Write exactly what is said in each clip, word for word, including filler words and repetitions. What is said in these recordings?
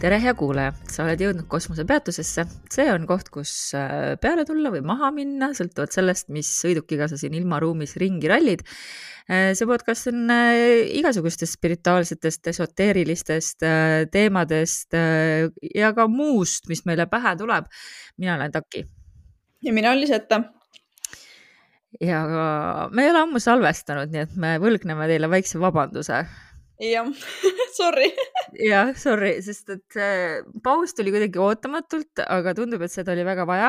Tere hea kuulaja, sa oled jõudnud kosmosepeatusesse. See on koht, kus peale tulla või maha minna, sõltuvalt sellest, mis sõidukiga sa siin ilmaruumis ringi rallid. See podcast on igasugustest spirituaalsetest, esoteerilistest teemadest ja ka muust, mis meile pähe tuleb. Mina olen Taki. Ja mina olen Liseta. Ja me ei ole ammu salvestanud, nii et me võlgneme teile väikse vabanduse. Jah, sorry. Jah, sorry, sest et paus tuli kuidagi ootamatult, aga tundub, et seda oli väga vaja.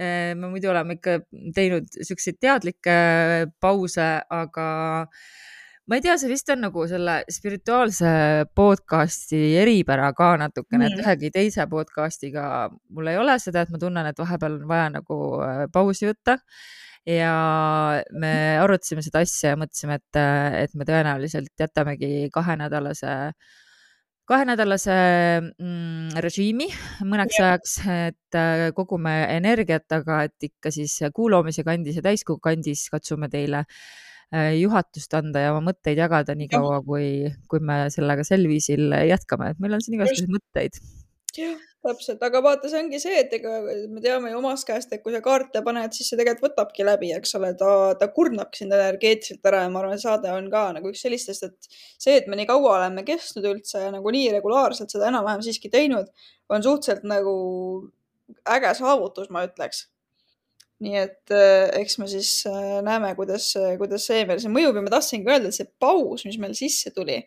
Me muidu oleme ikka teinud selliseid teadlikke pause, aga ma ei tea, see vist on nagu selle spirituaalse podcasti eripära ka natukene, et ühegi teise podcastiga mul ei ole seda, et ma tunnen, et vahepeal on vaja nagu pausi võtta. Ja me arutasime seda asja ja mõtlesime, et, et me tõenäoliselt jätamegi kahenädalase, kahenädalase mm, režiimi mõneks ajaks, et kogume energiat, aga et ikka siis kuuloomise kandis ja täiskogu kandis katsume teile juhatust anda ja oma mõtteid jagada nii kaua, kui, kui me sellega sel viisil jätkame. Et meil on siin igasuguseid mõtteid. Jah, täpselt, aga vaata, see ongi see, et ega me teame ju omast käest, et kui sa kaarte paned, siis see tegelikult võtabki läbi, eks ole, ta, ta kurnabki sind energeetiliselt ära ja ma arvan, saade on ka nagu üks sellistest, et see, et me nii kaua oleme kestnud üldse ja nagu nii regulaarselt seda enam-vähem siiski teinud, on suhteliselt nagu äge saavutus, ma ütleks. Nii et eks me siis näeme, kuidas, kuidas see meil see mõjub ja ma tahtsingi öelda, et see paus, mis meil sisse tuli,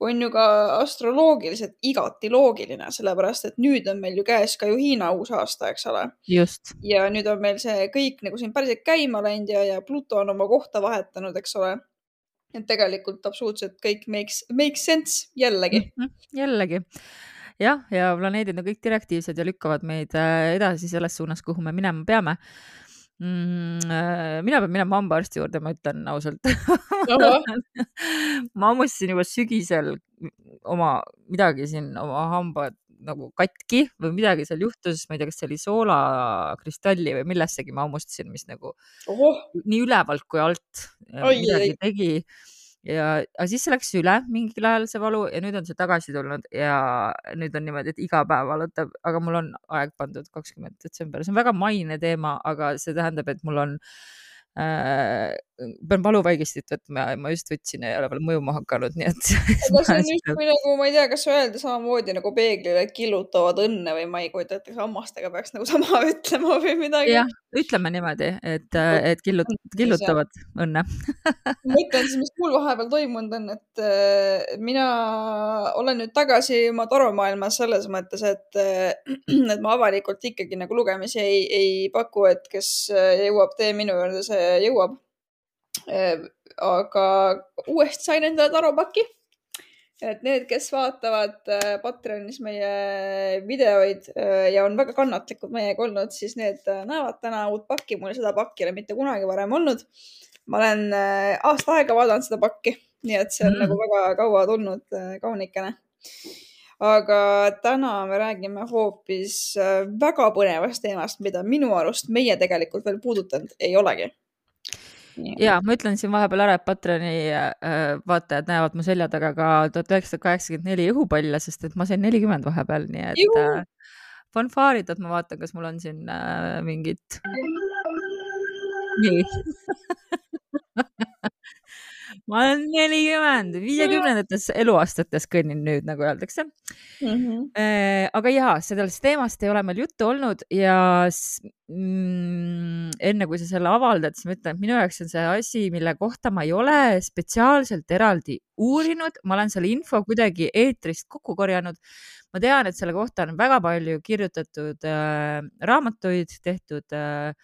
on ju ka astroloogiliselt igati loogiline, sellepärast, et nüüd on meil ju käes ka ju Hiina uus aasta, eks ole. Just. Ja nüüd on meil see kõik nagu siin päriselt käima läinud ja, ja Pluto on oma kohta vahetanud, eks ole. Et tegelikult absoluutselt kõik makes, makes sense jällegi. Mm-hmm. Jällegi. Jah, ja planeedid on kõik direktiivsed ja lükkavad meid edasi selles suunas, kuhu me minema peame. Mm, mina pean minema hambaarsti juurde, ma ütlen ausalt. Ma ammustasin juba sügisel oma midagi siin, oma hambad nagu katki või midagi seal juhtus, ma ei tea, kas see oli soolakristalli või millessegi ma ammustasin, mis nagu Oho. nii ülevalt kui alt Oi, midagi ei. tegi. Ja, aga siis see läks üle mingil ajal see valu ja nüüd on see tagasi tulnud ja nüüd on niimoodi, et iga päev valutab, aga mul on aeg pandud kakskümmend detsember. See on väga maine teema, aga see tähendab, et mul on äh, pean valuvaigistit võtma ja ma just võtsin ja ei ole veel mõjuma hakanud, nii et aga see on just kui nagu, ma ei tea, kas öelda samamoodi nagu peeglile killutavad õnne või ma ei kujuta, et hammastega peaks nagu sama ütlema või midagi. Jah, ütleme niimoodi, et, et killut, killutavad õnne. Ma ütlen siis, mis mul vahepeal toimunud on, et mina olen nüüd tagasi oma taromaailmas selles mõttes, et, et ma avalikult ikkagi nagu lugemisi ei, ei paku, et kes jõuab tee minu juurde, see jõuab. Aga uuesti sain endale taropaki, et need, kes vaatavad Patreonis meie videoid ja on väga kannatlikud meiega olnud, siis need näevad täna uut pakki. Mul seda pakki ei ole mitte kunagi varem olnud. Ma olen aasta aega vaadanud seda pakki, nii et see on mm. nagu väga kaua tulnud kaunikene. Aga täna me räägime hoopis väga põnevast teemast, mida minu arust meie tegelikult veel puudutanud ei olegi. Ja ma ütlen siin vahepeal ära, et Patreoni vaatajad näevad mu selja taga ka tuhat üheksasada kaheksakümmend neli õhupalla, sest et ma sain nelikümmend vahepeal, nii et Juhu. fanfaarid, et ma vaatan, kas mul on siin mingit nii. Ma olen nelikümmend, viiekümnendates eluaastates kõnnin nüüd, nagu öeldakse. Mm-hmm. Aga jaa, sellest teemast ei ole meil juttu olnud ja mm, enne kui sa selle avaldad, siis ma ütlen, et minu jaoks on see asi, mille kohta ma ei ole spetsiaalselt eraldi uurinud. Ma olen selle info kuidagi eetrist kokku korjanud. Ma tean, et selle kohta on väga palju kirjutatud äh, raamatuid, tehtud äh,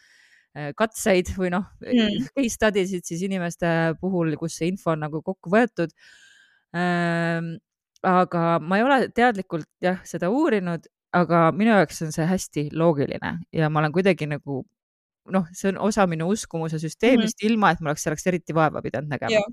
katseid või noh Mm. case study'sid siis inimeste puhul, kus see info on nagu kokku võetud. Aga ma ei ole teadlikult jah seda uurinud, aga minu jaoks on see hästi loogiline ja ma olen kuidagi nagu noh, see on osa minu uskumuse süsteemist, Mhm. ilma et ma oleks selleks eriti vaeva pidanud nägema. Jah.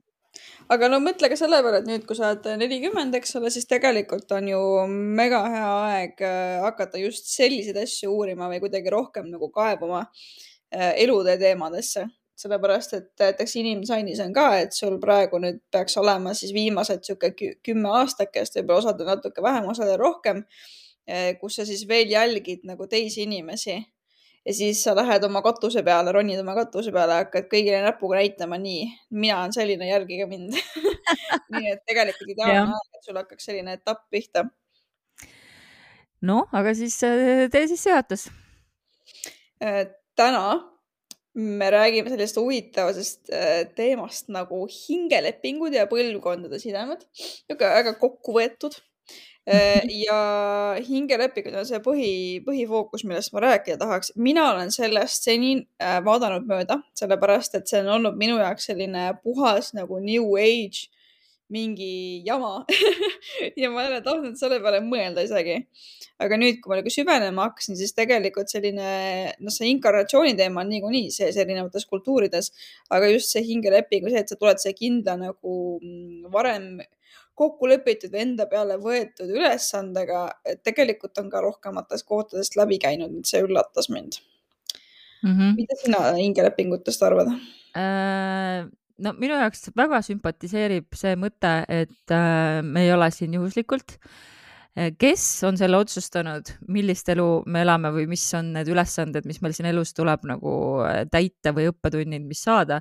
Aga no mõtle ka selle peale, et nüüd, kui sa oled nelikümmend, eks ole, siis tegelikult on ju mega hea aeg äh, hakata just selliseid asju uurima või kuidagi rohkem nagu kaebuma äh, elutee teemadesse. Sellepärast, et näiteks inimsainis on ka, et sul praegu nüüd peaks olema siis viimased sihuke kü- kümme aastakest, võib-olla osad on natuke vähem, osad on rohkem, äh, kus sa siis veel jälgid nagu teisi inimesi. Ja siis sa lähed oma katuse peale, ronid oma katuse peale, hakkad kõigile näpuga näitama, nii, mina olen selline, jälgige mind. Nii et tegelikult ideaalne Jah. aeg, et sul hakkaks selline etapp pihta. No, aga siis äh, tee siis seatus. Äh, Täna me räägime sellest huvitavast äh, teemast nagu hingelepingud ja põlvkondade sidemed. Niisugune väga kokku võetud. Äh, Ja hingelepingud on see põhi, põhifookus, millest ma rääkida tahaks. Mina olen sellest seni äh, vaadanud mööda, sellepärast et see on olnud minu jaoks selline puhas nagu new age mingi jama ja ma ei ole tahtnud selle peale mõelda isegi. Aga nüüd, kui ma nagu süvenema hakkasin, siis tegelikult selline, noh, see inkarnatsiooni teema on niikuinii sees erinevates kultuurides, aga just see hingeleping või see, et sa tuled see kindla nagu varem kokku lepitud või enda peale võetud ülesandega, et tegelikult on ka rohkemates kohtadest läbi käinud, see üllatas mind. mm. -hmm. Mida sina hingelepingutest arvad? Äh, no minu jaoks väga sümpatiseerib see mõte, et äh, me ei ole siin juhuslikult. Kes on selle otsustanud, millist elu me elame või mis on need ülesanded, mis meil siin elus tuleb nagu täita või õppetunnid, mis saada.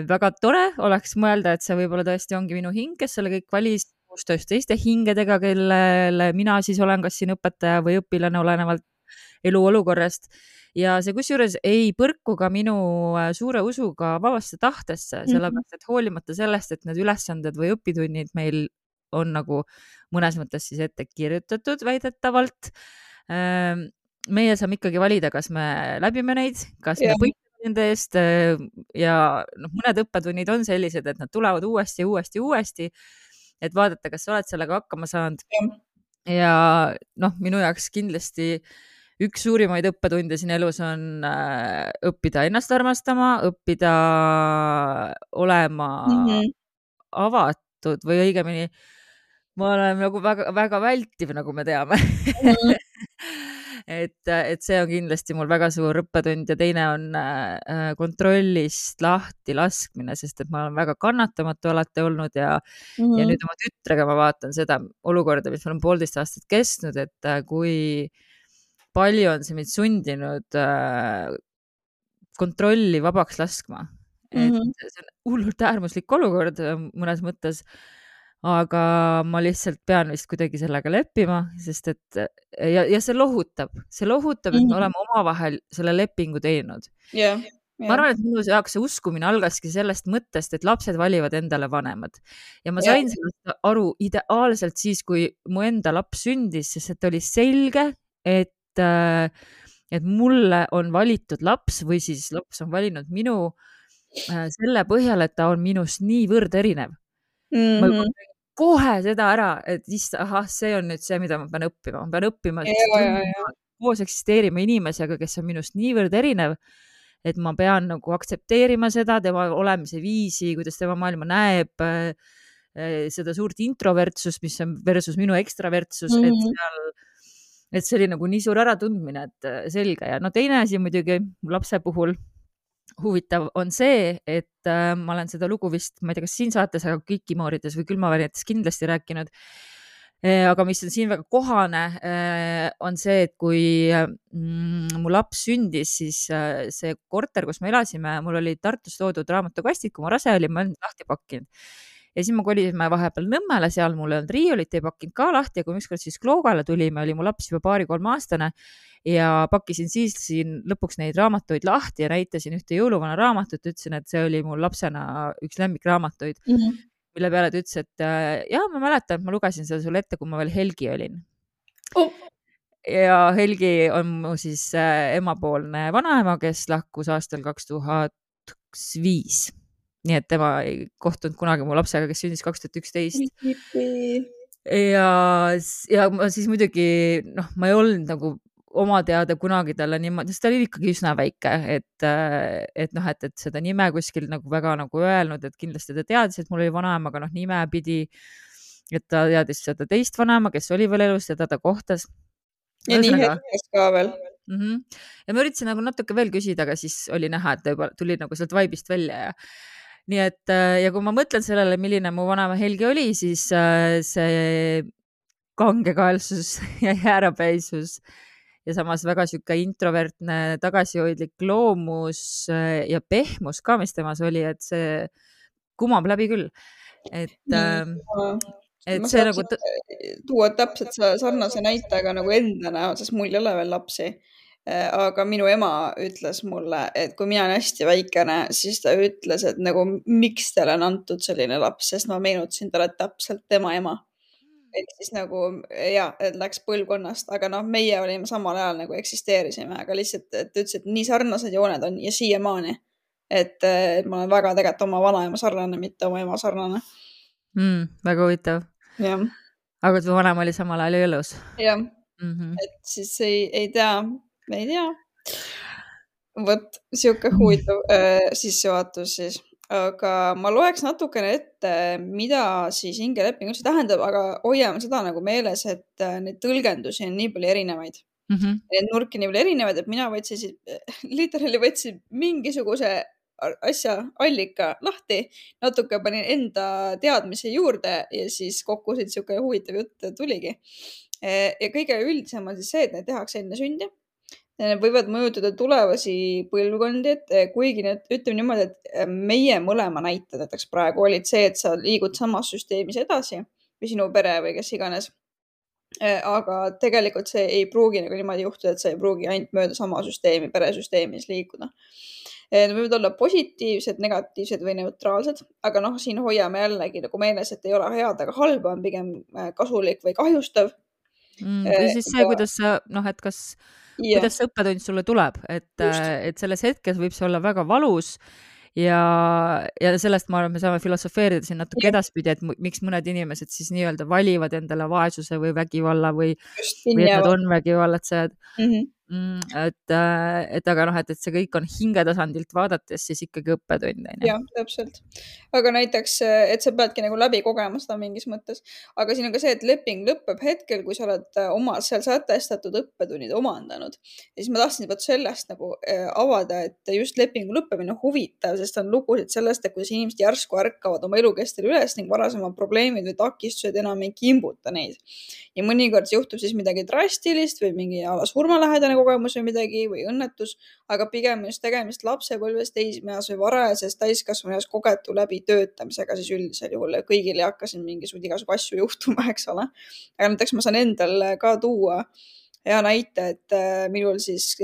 Väga tore oleks mõelda, et see võib-olla tõesti ongi minu hing, kes selle kõik valis koostöös teiste hingedega, kellele mina siis olen kas siin õpetaja või õpilane, olenevalt eluolukorrast. Ja see kusjuures ei põrku ka minu suure usuga vabasse tahtesse, sellepärast et hoolimata sellest, et need ülesanded või õpitunnid meil on nagu mõnes mõttes siis ette kirjutatud väidetavalt. Meie saame ikkagi valida, kas me läbime neid, kas yeah. me võitleme nende eest ja noh, mõned õppetunnid on sellised, et nad tulevad uuesti ja uuesti ja uuesti, et vaadata, kas sa oled sellega hakkama saanud. Yeah. Ja noh, minu jaoks kindlasti üks suurimaid õppetunde siin elus on äh, õppida ennast armastama, õppida olema mm -hmm. avatud või õigemini ma olen nagu väga, väga vältiv, nagu me teame mm. -hmm. et, et see on kindlasti mul väga suur õppetund ja teine on äh, kontrollist lahti laskmine, sest et ma olen väga kannatamatu alati olnud ja, mm -hmm. ja nüüd oma tütrega ma vaatan seda olukorda, mis meil on poolteist aastat kestnud, et äh, kui palju on see mind sundinud äh, kontrolli vabaks laskma. Et mm -hmm. see on hullult äärmuslik olukord mõnes mõttes, aga ma lihtsalt pean vist kuidagi sellega leppima, sest et ja, ja see lohutab, see lohutab, et mm -hmm. me oleme omavahel selle lepingu teinud. Yeah. Yeah. Ma arvan, et minu jaoks see uskumine algaski sellest mõttest, et lapsed valivad endale vanemad ja ma sain yeah. sellest aru ideaalselt siis, kui mu enda laps sündis, sest et oli selge, et et mulle on valitud laps või siis laps on valinud minu selle põhjal, et ta on minust niivõrd erinev. Mm -hmm. Ma juba kohe seda ära, et ista, ahah, see on nüüd see, mida ma pean õppima. Ma pean õppima ja, ja, ja. koos eksisteerima inimesega, kes on minust niivõrd erinev, et ma pean nagu aktsepteerima seda, tema olemise viisi, kuidas tema maailma näeb, seda suurt introvertsust, mis on versus minu ekstravertsus, mm -hmm. et seal et see oli nagu nii suur äratundmine, et selge. Ja no teine asi muidugi lapse puhul huvitav on see, et äh, ma olen seda lugu vist, ma ei tea, kas siin saates, aga Kikimoorides või külmavärinetes kindlasti rääkinud. E, aga mis on siin väga kohane, e, on see, et kui mm, mu laps sündis, siis äh, see korter, kus me elasime, mul oli Tartus toodud raamatukastid, kui ma rase olin, ma olen lahti pakkinud. Ja siis ma kolisime vahepeal Nõmmele, seal mul ei olnud riiulit, ei pakkinud ka lahti ja kui ükskord siis Kloogale tulime, oli mu laps juba paari-kolme aastane ja pakkisin siis siin lõpuks neid raamatuid lahti ja näitasin ühte jõuluvana raamatut, ütlesin, et see oli mul lapsena üks lemmikraamatuid, mm -hmm. mille peale ta ütles, et jah, ma mäletan, et ma lugesin seda sulle ette, kui ma veel Helgi olin. Oh. ja Helgi on mu siis emapoolne vanaema, kes lahkus aastal kaks tuhat viis. Nii et tema ei kohtunud kunagi mu lapsega, kes sündis kaks tuhat üksteist. ja, ja ma siis muidugi, noh, ma ei olnud nagu oma teada kunagi talle niimoodi, sest ta oli ikkagi üsna väike, et, et noh, et, et seda nime kuskil nagu väga nagu öelnud, et kindlasti ta teadis, et mul oli vanaema, aga noh, nime pidi, et ta teadis seda teist vanaema, kes oli veel elus ja ta ta kohtas. Ja nii hetkes ka veel. Mm -hmm. Ja ma üritasin nagu natuke veel küsida, aga siis oli näha, et ta juba tuli nagu sealt vaibist välja ja nii et, ja kui ma mõtlen sellele, milline mu vanaema Helgi oli, siis see kangekaelsus ja jäärapäisus ja samas väga sihuke introvertne, tagasihoidlik loomus ja pehmus ka, mis temas oli, et see kumab läbi küll. Et, et ma see nagu tuua täpselt sarnase näitajaga nagu enda näol, sest mul ei ole veel lapsi. Aga minu ema ütles mulle, et kui mina olen hästi väikene, siis ta ütles, et nagu miks teile on antud selline laps, sest ma meenutasin talle täpselt tema ema. Et siis nagu ja, et läks põlvkonnast, aga noh, meie olime samal ajal nagu eksisteerisime, aga lihtsalt, et ütles, et nii sarnased jooned on ja siiamaani. Et, et ma olen väga tegelikult oma vanaema sarnane, mitte oma ema sarnane. Mm, väga huvitav. Ja. Aga tu vanaema oli samal ajal elus. Ja, mm -hmm. et siis ei, ei tea, ei tea. Võt, siuke huvitav äh, sissejuhatus siis. Aga ma loeks natukene ette, mida siis hingeleping üldse tähendab, aga hoiame seda nagu meeles, et neid tõlgendusi on nii palju erinevaid. Mm -hmm. Need nurki nii palju erinevaid, et mina võtsin siis, literaali võtsin mingisuguse asja allika lahti, natuke panin enda teadmise juurde ja siis kokku siit siuke huvitav jutt tuligi. Ja kõige üldisem on siis see, et need tehakse enne sündi. Need võivad mõjutada tulevasi põlvkondi, et kuigi need, ütleme niimoodi, et meie mõlema näited näiteks praegu olid see, et sa liigud samas süsteemis edasi või sinu pere või kes iganes. Aga tegelikult see ei pruugi nagu niimoodi juhtuda, et sa ei pruugi ainult mööda sama süsteemi, peresüsteemis liikuda. Need võivad olla positiivsed, negatiivsed või neutraalsed, aga noh, siin hoiame jällegi nagu meeles, et ei ole head, aga halba on pigem kasulik või kahjustav. Mm, või siis see, kuidas sa, noh, et kas Ja. kuidas see õppetund sulle tuleb, et, et selles hetkes võib see olla väga valus ja, ja sellest ma arvan, me saame filosofeerida siin natuke ja. edaspidi, et miks mõned inimesed siis nii-öelda valivad endale vaesuse või vägivalla või, või et nad on vägivallatsejad. Mm -hmm. et, et aga noh, et, et see kõik on hingetasandilt vaadates siis ikkagi õppetund. Jah, täpselt. Aga näiteks, et sa peadki nagu läbi kogema seda mingis mõttes. Aga siin on ka see, et leping lõpeb hetkel, kui sa oled oma seal sätestatud õppetunnid omandanud. Ja siis ma tahtsin võtta sellest nagu avada, et just lepingu lõppemine on huvitav, sest on lugusid sellest, et kuidas inimesed järsku ärkavad oma elukestel üles ning varasemad probleemid või takistused enam ei kimbuta neid. Ja mõnikord juhtub siis midagi drastilist või mingi ala surmalähedane kogemus või midagi või õnnetus, aga pigem just tegemist lapsepõlves, teismeas või varajases täiskasvanueas kogetu läbi töötamisega siis üldisel juhul ja kõigil ei hakka siin mingisugused igasugu asju juhtuma, eks ole. Aga näiteks ma saan endal ka tuua hea näite, et minul siis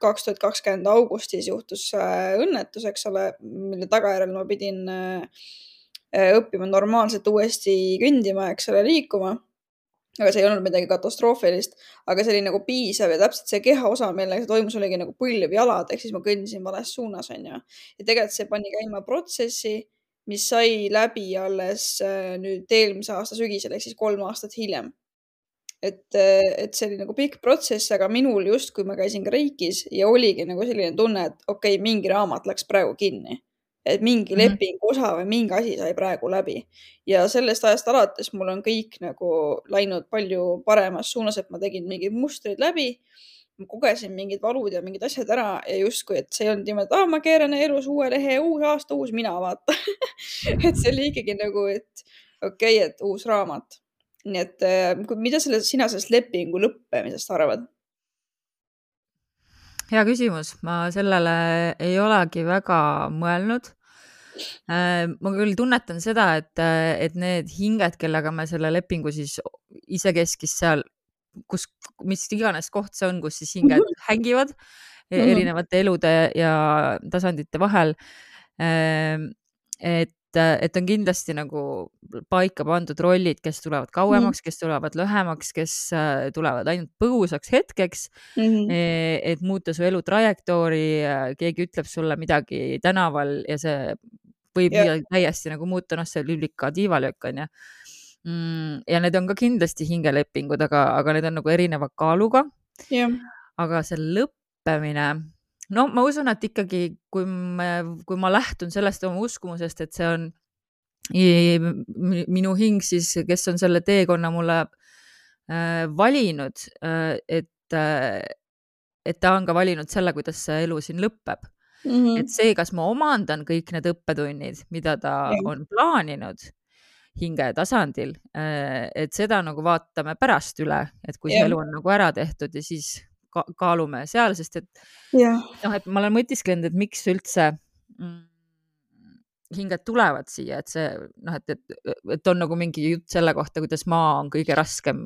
kaks tuhat kakskümmend augustis juhtus õnnetus, eks ole, mille tagajärjel ma pidin õppima normaalselt uuesti kõndima, eks ole, liikuma. Aga see ei olnud midagi katastroofilist, aga see oli nagu piisav ja täpselt see kehaosa, millega see toimus, oligi nagu põlv jalad, ehk siis ma kõndisin vales suunas, on ju. Ja tegelikult see pani käima protsessi, mis sai läbi alles nüüd eelmise aasta sügisel, ehk siis kolm aastat hiljem. Et, et see oli nagu pikk protsess, aga minul just, kui ma käisin Reikis ja oligi nagu selline tunne, et okei, okay, mingi raamat läks praegu kinni. Et mingi mm -hmm. leping osa või mingi asi sai praegu läbi. Ja sellest ajast alates mul on kõik nagu läinud palju paremas suunas, et ma tegin mingid mustrid läbi, ma kogesin mingid valud ja mingid asjad ära ja justkui, et see on niimoodi, et ah, ma keeran elus uue lehe, uus aasta, uus mina, vaata. et see oli ikkagi nagu, et okei okay,, et uus raamat. Nii et mida selle, sina sellest lepingu lõppemisest arvad? Hea küsimus, ma sellele ei olegi väga mõelnud. Ma küll tunnetan seda, et, et need hinged, kellega me selle lepingu siis isekeskis seal, kus, mis iganes koht see on, kus siis hinged mm -hmm. hängivad erinevate elude ja tasandite vahel. Et et, et on kindlasti nagu paika pandud rollid, kes tulevad kauemaks, kes tulevad lühemaks, kes tulevad ainult põgusaks hetkeks, mm -hmm. et muuta su elu trajektoori, keegi ütleb sulle midagi tänaval ja see võib Ja. midagi täiesti nagu muuta, noh, see liblika tiivalöök on ju. Ja need on ka kindlasti hingelepingud, aga, aga need on nagu erineva kaaluga. Ja. Aga see lõppemine, no ma usun, et ikkagi, kui ma, kui ma lähtun sellest oma uskumusest, et see on minu hing siis, kes on selle teekonna mulle äh, valinud, äh, et, äh, et ta on ka valinud selle, kuidas see elu siin lõpeb. Mm -hmm. Et see, kas ma omandan kõik need õppetunnid, mida ta ja. on plaaninud hinge tasandil, et seda nagu vaatame pärast üle, et kui see ja. elu on nagu ära tehtud ja siis ka kaalume seal, sest et, ja. noh, et ma olen mõtisklenud, et miks üldse mm, hinged tulevad siia, et see, noh, et, et, et on nagu mingi jutt selle kohta, kuidas maa on kõige raskem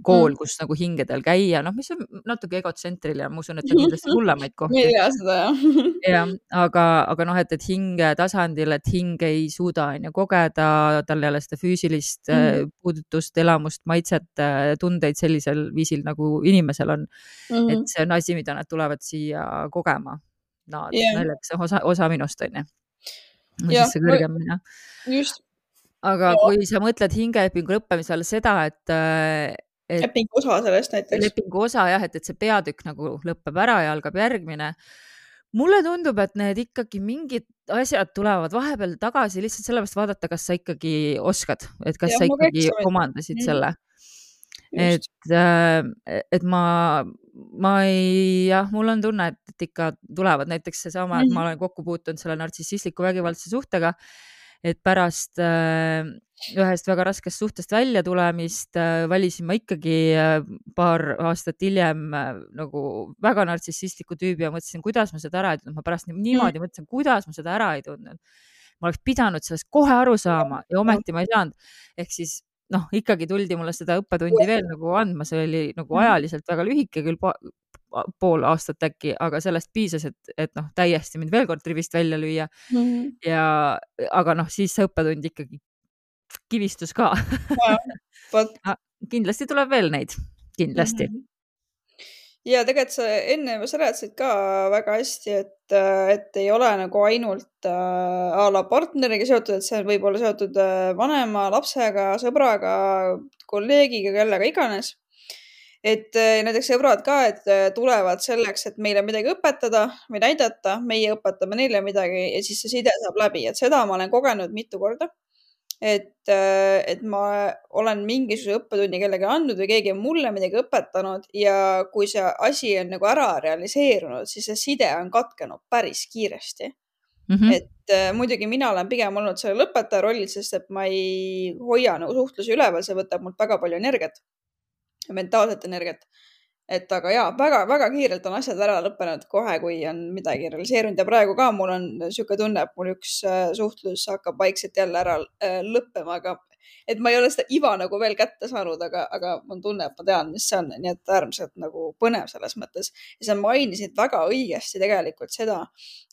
kool, mm. kus nagu hingedel käia, noh, mis on natuke egotsentriline, ma usun, et on kindlasti hullemaid kohti. Me ei tea seda, jah. jah, aga, aga noh, et, et hinge tasandil, et hing ei suuda on ju kogeda, tal ei ole seda füüsilist mm. puudutust, elamust, maitset, tundeid sellisel viisil, nagu inimesel on. Mm. Et see on asi, mida nad tulevad siia kogema. Nad, yeah. Näljaks osa, osa minust on ju. Või ja, siis see kõrgemine. Just. Aga ja. Kui sa mõtled hingelepingu lõppemisel seda, et, et lepingu osa sellest näiteks. Lepingu osa jah, et, et see peatükk nagu lõpeb ära ja algab järgmine. Mulle tundub, et need ikkagi mingid asjad tulevad vahepeal tagasi lihtsalt sellepärast vaadata, kas sa ikkagi oskad, et kas ja, sa ikkagi omandasid mm. selle. Just. Et, et ma, ma ei, jah, mul on tunne, et, et ikka tulevad näiteks see sama, et ma olen kokku puutunud selle nartsissistliku vägivaldse suhtega, et pärast äh, ühest väga raskest suhtest välja tulemist äh, valisin ma ikkagi äh, paar aastat hiljem äh, nagu väga nartsissistliku tüübi ja mõtlesin, kuidas ma seda ära ei tundnud. Ma pärast niimoodi mõtlesin, kuidas ma seda ära ei tundnud. Ma oleks pidanud sellest kohe aru saama ja ometi ma ei saanud. Ehk siis noh, ikkagi tuldi mulle seda õppetundi veel nagu andma, see oli nagu ajaliselt väga lühike, küll po pool aastat äkki, aga sellest piisas, et, et noh, täiesti mind veel kord rivist välja lüüa. Mm -hmm. Ja, aga noh, siis see õppetund ikkagi kivistus ka. Ja, but... kindlasti tuleb veel neid, kindlasti. Mm -hmm. Ja tegelikult sa enne seletasid ka väga hästi, et, et ei ole nagu ainult äh, a la partneriga seotud, et see võib olla seotud vanema, lapsega, sõbraga, kolleegiga, kellega iganes. Et näiteks sõbrad ka, et tulevad selleks, et meile midagi õpetada või näidata, meie õpetame neile midagi ja siis see side saab läbi, et seda ma olen kogenud mitu korda. Et, et ma olen mingisuguse õppetunni kellegi andnud või keegi on mulle midagi õpetanud ja kui see asi on nagu ära realiseerunud, siis see side on katkenud päris kiiresti. Mm -hmm. Et muidugi mina olen pigem olnud selle lõpetaja rollil, sest et ma ei hoia nagu suhtlusi üleval, see võtab mult väga palju energiat, mentaalset energiat. Et aga jaa, väga, väga kiirelt on asjad ära lõppenud kohe, kui on midagi realiseerunud ja praegu ka mul on siuke tunne, et mul üks suhtlus hakkab vaikselt jälle ära lõppema, aga et ma ei ole seda iva nagu veel kätte saanud, aga, aga mul tunne, et ma tean, mis see on, nii et äärmiselt nagu põnev selles mõttes. Ja sa mainisid väga õigesti tegelikult seda,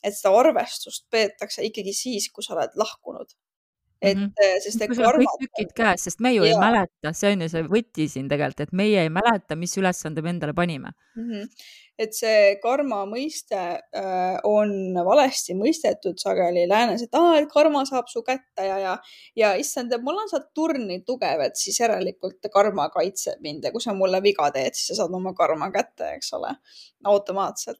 et seda arvestust peetakse ikkagi siis, kui sa oled lahkunud. Et, mm -hmm. sest kui sul on kõik tükid käes, sest me ju ja. ei mäleta, see on ju see võti siin tegelikult, et meie ei mäleta, mis ülesande me endale panime. Mm -hmm. Et see karma mõiste äh, on valesti mõistetud sageli läänes, et, aa, et karma saab su kätte ja, ja, ja issand, et mul on Saturn nii tugev, et siis järelikult karma kaitseb mind ja kui sa mulle viga teed, siis sa saad oma karma kätte, eks ole, automaatselt.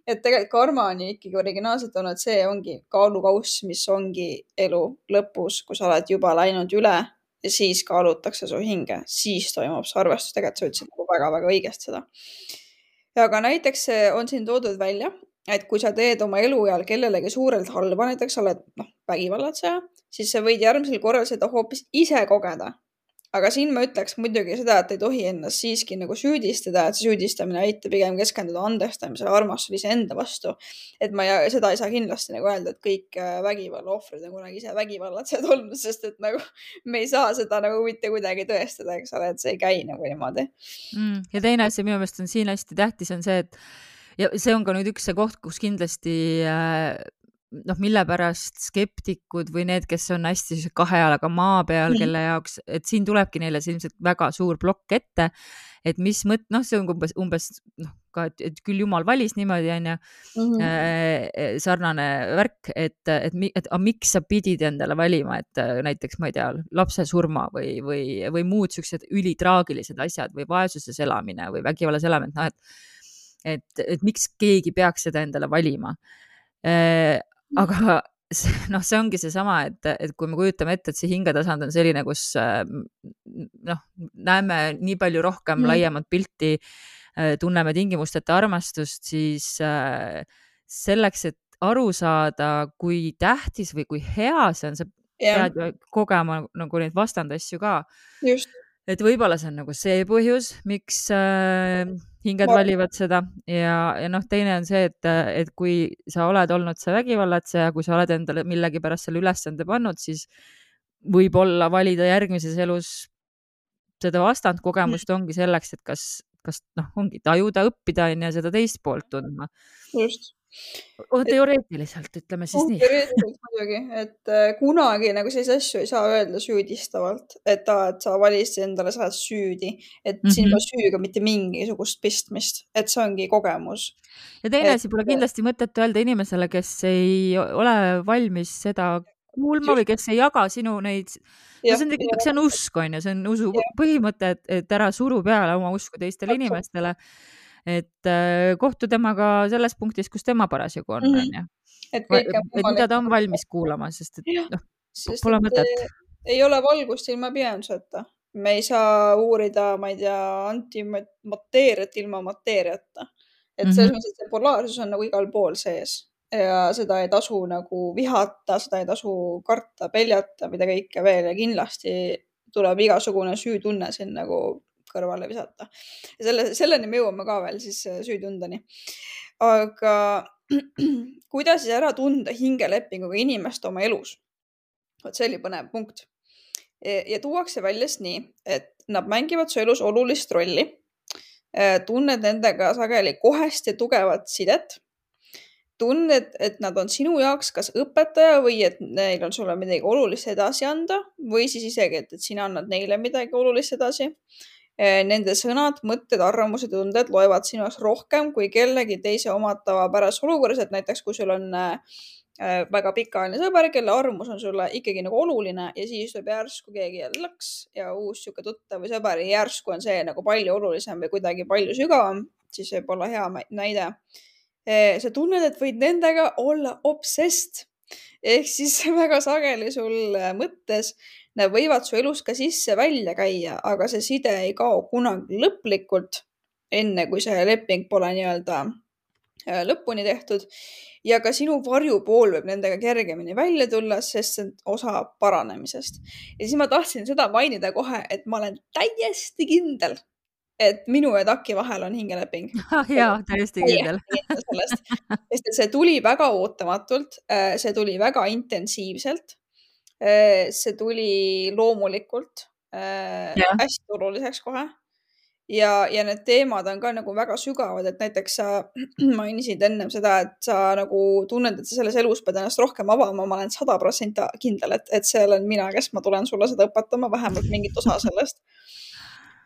Et tegelikult karma on ikkagi originaalselt olnud, see ongi kaalukauss, mis ongi elu lõpus, kui sa oled juba läinud üle ja siis kaalutakse su hinge, siis toimub see arvestus, tegelikult sa ütlesid nagu väga-väga õigesti seda. Aga näiteks on siin toodud välja, et kui sa teed oma eluajal kellelegi suurelt halba, näiteks sa oled noh, vägivallatseja, siis sa võid järgmisel korral seda hoopis ise kogeda. Aga siin ma ütleks muidugi seda, et ei tohi ennast siiski nagu süüdistada, et see süüdistamine aitab pigem keskenduda andestamisele, armastusele enda vastu. Et ma ja, seda ei saa kindlasti nagu öelda, et kõik vägivalla ohvrid on kunagi ise vägivallatsejad olnud, sest et nagu me ei saa seda nagu mitte kuidagi tõestada, eks ole, et see ei käi nagu niimoodi. Mm, ja teine asi minu meelest on siin hästi tähtis on see, et ja see on ka nüüd üks see koht, kus kindlasti äh, noh, mille pärast skeptikud või need, kes on hästi sellise kahe jalaga maa peal, Mhm. kelle jaoks, et siin tulebki neile see ilmselt väga suur plokk ette, et mis mõt-, noh, see on umbes, umbes noh, ka, et, et küll jumal valis niimoodi, on ju, Mhm. äh, sarnane värk, et, et, mi- et aga miks sa pidid endale valima, et äh, näiteks, ma ei tea, lapse surma või, või, või muud siuksed ülitraagilised asjad või vaesuses elamine või vägivallas elamine, noh, et et, et miks keegi peaks seda endale valima. Äh, aga see- noh, see ongi seesama, et, et kui me kujutame ette, et see hingetasand on selline, kus äh, m- noh, näeme nii palju rohkem Mhm. laiemat pilti, äh, tunneme tingimusteta armastust, siis äh, selleks, et aru saada, kui tähtis või kui hea see on, sa Jah, pead ju kogema nagu neid vastandasju ka. just. Et võib-olla see on nagu see põhjus, miks äh, hinged Ma arvan, valivad seda ja, ja noh, teine on see, et, et kui sa oled olnud see vägivallatseja, kui sa oled endale millegipärast selle ülesande pannud, siis võib-olla valida järgmises elus seda vastandkogemust ongi selleks, et kas, kas noh, ongi tajuda, õppida on ju seda teist poolt tundma. just. O, Et teoreetiliselt ütleme siis nii. teoreetiliselt muidugi, et äh, kunagi nagu selliseid asju ei saa öelda süüdistavalt, et aa, et sa valisid endale, sa oled süüdi, et Mm siin -hmm. pole süüga mitte mingisugust pistmist, et see ongi kogemus. Ja teine Et asi, pole kindlasti mõtet öelda inimesele, kes ei ole valmis seda kuulma või just, kes ei jaga sinu neid, no jah, see on tegelikult, see on usk, on ju, see on usu jah, põhimõte, et, et ära suru peale oma usku teistele täpselt. inimestele. Et äh, kohtu temaga selles punktis, kus tema parasjagu on, Mhm. on ju. Et kõike on Et mida võimalik ta on teha. valmis kuulama, sest et Jah, noh, sest pole et mõtet. eh, ei ole valgust ilma pimeduseta. Me ei saa uurida, ma ei tea, antimateeriat ilma mateeriata. Et Mm selles -hmm. mõttes, et see polaarsus on nagu igal pool sees ja seda ei tasu nagu vihata, seda ei tasu karta, peljata, mida kõike veel ja kindlasti tuleb igasugune süütunne siin nagu kõrvale visata. Ja selle, selleni me jõuame ka veel siis eh, süütundeni. Aga kuidas siis ära tunda hingelepinguga inimest oma elus? Vot see oli põnev punkt. E- Ja tuuakse välja siis nii, et nad mängivad su elus olulist rolli. Eh, Tunned nendega sageli kohest ja tugevat sidet. Tunned, et nad on sinu jaoks kas õpetaja või et neil on sulle midagi olulist edasi anda või siis isegi, et, et sina annad neile midagi olulist edasi. Eh, Nende sõnad, mõtted, arvamused ja tunded loevad sinu jaoks rohkem kui kellegi teise omad tavapärases olukorras, et näiteks kui sul on äh, äh, väga pikaajaline sõber, kelle arvamus on sulle ikkagi nagu oluline ja siis tuleb järsku keegi jälle laks ja uus sihuke tuttav või sõber ja järsku on see nagu palju olulisem või kuidagi palju sügavam, siis võib olla hea mä- näide. Eh, Sa tunned, et võid nendega olla obsessed ehk siis väga sageli sul äh, mõttes nad võivad su elus ka sisse-välja käia, aga see side ei kao kunagi lõplikult, enne kui see leping pole nii-öelda äh, lõpuni tehtud. Ja ka sinu varjupool võib nendega kergemini välja tulla, sest see on osa paranemisest. Ja siis ma tahtsin seda mainida kohe, et ma olen täiesti kindel, et minu ja Taki vahel on hingeleping. Jaa, täiesti kindel. Täiesti kindel sellest, sest et see tuli väga ootamatult, äh, see tuli väga intensiivselt. Eh, See tuli loomulikult äh, Jah. hästi oluliseks kohe. Ja, ja need teemad on ka nagu väga sügavad, et näiteks sa mainisid ennem seda, et sa nagu tunned, et sa selles elus pead ennast rohkem avama. Ma olen sada protsenti kindel, et, et see olen mina, kes ma tulen sulle seda õpetama, vähemalt mingit osa sellest.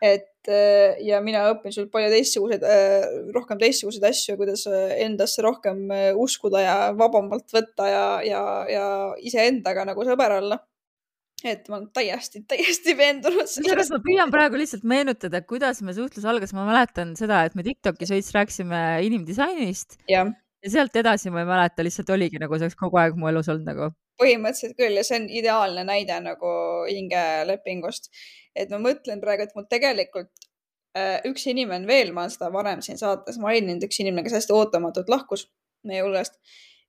Et äh, ja mina õpin sult palju teistsuguseid, rohkem teistsuguseid asju, kuidas äh, endasse rohkem äh, uskuda ja vabamalt võtta ja, ja, ja iseendaga nagu sõber olla. Et ma olen täiesti, täiesti veendunud Kusjuures sellest. ma püüan praegu lihtsalt meenutada, kuidas me suhtlus algas. Ma mäletan seda, et me TikTokis veits rääkisime inimdisainist Jah, ja sealt edasi ma ei mäleta, lihtsalt oligi nagu see oleks kogu aeg mu elus olnud nagu. põhimõtteliselt küll ja see on ideaalne näide nagu hingelepingust. Et ma mõtlen praegu, et mul tegelikult äh, üks inimene veel, ma olen seda varem siin saates maininud, üks inimene, kes hästi ootamatult lahkus meie hulgast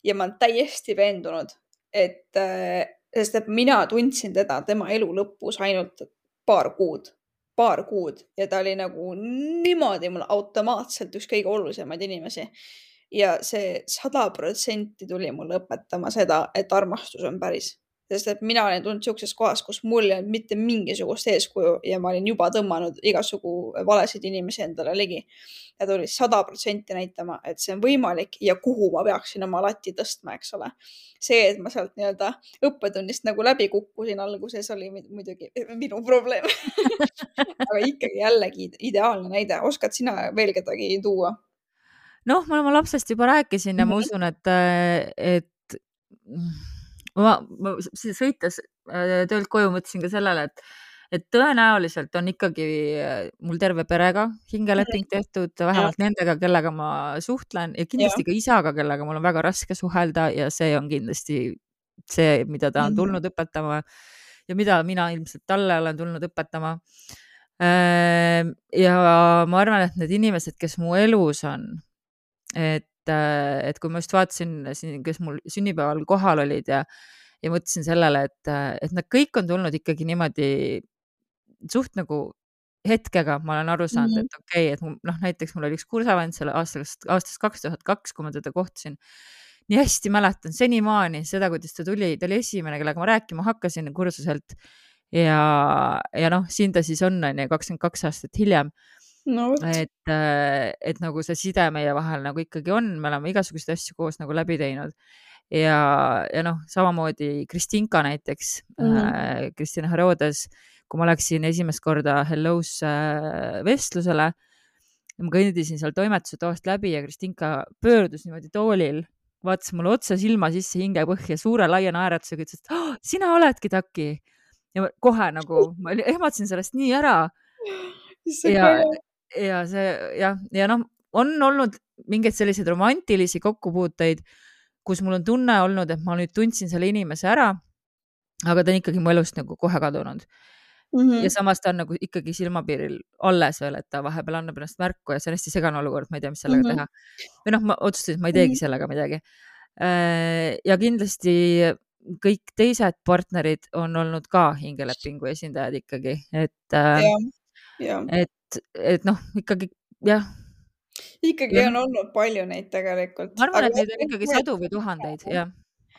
ja ma olen täiesti veendunud, et äh, sest et mina tundsin teda tema elu lõpus ainult paar kuud, paar kuud ja ta oli nagu niimoodi mul automaatselt üks kõige olulisemaid inimesi. Ja see sada protsenti tuli mulle õpetama seda, et armastus on päris. sest et mina olin tulnud siukses kohas, kus mul ei olnud mitte mingisugust eeskuju ja ma olin juba tõmmanud igasugu valesid inimesi endale ligi. Ja tuli sada protsenti näitama, et see on võimalik ja kuhu ma peaksin oma lati tõstma, eks ole. See, et ma sealt nii-öelda õppetunnist nagu läbi kukkusin alguses, oli muidugi minu probleem. Aga ikkagi jällegi ideaalne näide. Oskad sina veel kedagi tuua? Noh, ma oma lapsest juba rääkisin ja ma usun, et, et ma, ma sõites töölt koju mõtlesin ka sellele, et, et tõenäoliselt on ikkagi mul terve perega hingeleping tehtud, vähemalt ja. Nendega, kellega ma suhtlen ja kindlasti ja. Ka isaga, kellega mul on väga raske suhelda ja see on kindlasti see, mida ta on tulnud mm-hmm. õpetama ja mida mina ilmselt talle olen tulnud õpetama. Ja ma arvan, et need inimesed, kes mu elus on, et, et kui ma just vaatasin, kes mul sünnipäeval kohal olid ja, ja mõtlesin sellele, et, et nad kõik on tulnud ikkagi niimoodi suht nagu hetkega, ma olen aru saanud, mm-hmm. et okei, okay, et noh, näiteks mul oli üks kursavend selle aastast, aastast kaks tuhat kaks, kui ma teda kohtasin. Nii hästi mäletan senimaani seda, kuidas ta tuli, ta oli esimene, kellega ma rääkima hakkasin kursuselt ja, ja noh, siin ta siis on, on kakskümmend kaks aastat hiljem. No, et, et nagu see side meie vahel nagu ikkagi on, me oleme igasuguseid asju koos nagu läbi teinud ja, ja noh, samamoodi Kristinka näiteks mm-hmm. äh, Kristina Herodes, kui ma läksin esimest korda Hello's äh, vestlusele, ma kõndisin seal toimetuse toast läbi ja Kristinka pöördus niimoodi toolil, vaatas mulle otsa silma sisse hinge põhja suure laia naeratusega, ütles, et oh, sina oledki Taki ja kohe nagu ma ehmatasin sellest nii ära ja ja see jah, ja noh, on olnud mingeid selliseid romantilisi kokkupuuteid, kus mul on tunne olnud, et ma nüüd tundsin selle inimese ära, aga ta on ikkagi mu elust nagu kohe kadunud. Mm-hmm. Ja samas ta on nagu ikkagi silmapiiril alles veel, et ta vahepeal annab ennast märku ja see on hästi segane olukord, ma ei tea, mis sellega mm-hmm. teha. Või noh, ma otsustasin, et ma ei teegi mm-hmm. sellega midagi. Ja kindlasti kõik teised partnerid on olnud ka hingelepingu esindajad ikkagi, et ja, ja. et et noh, ikkagi jah. Ikkagi ja. On olnud palju neid tegelikult. Ma arvan, aga et neid on ikkagi sadu või tuhandeid, jah.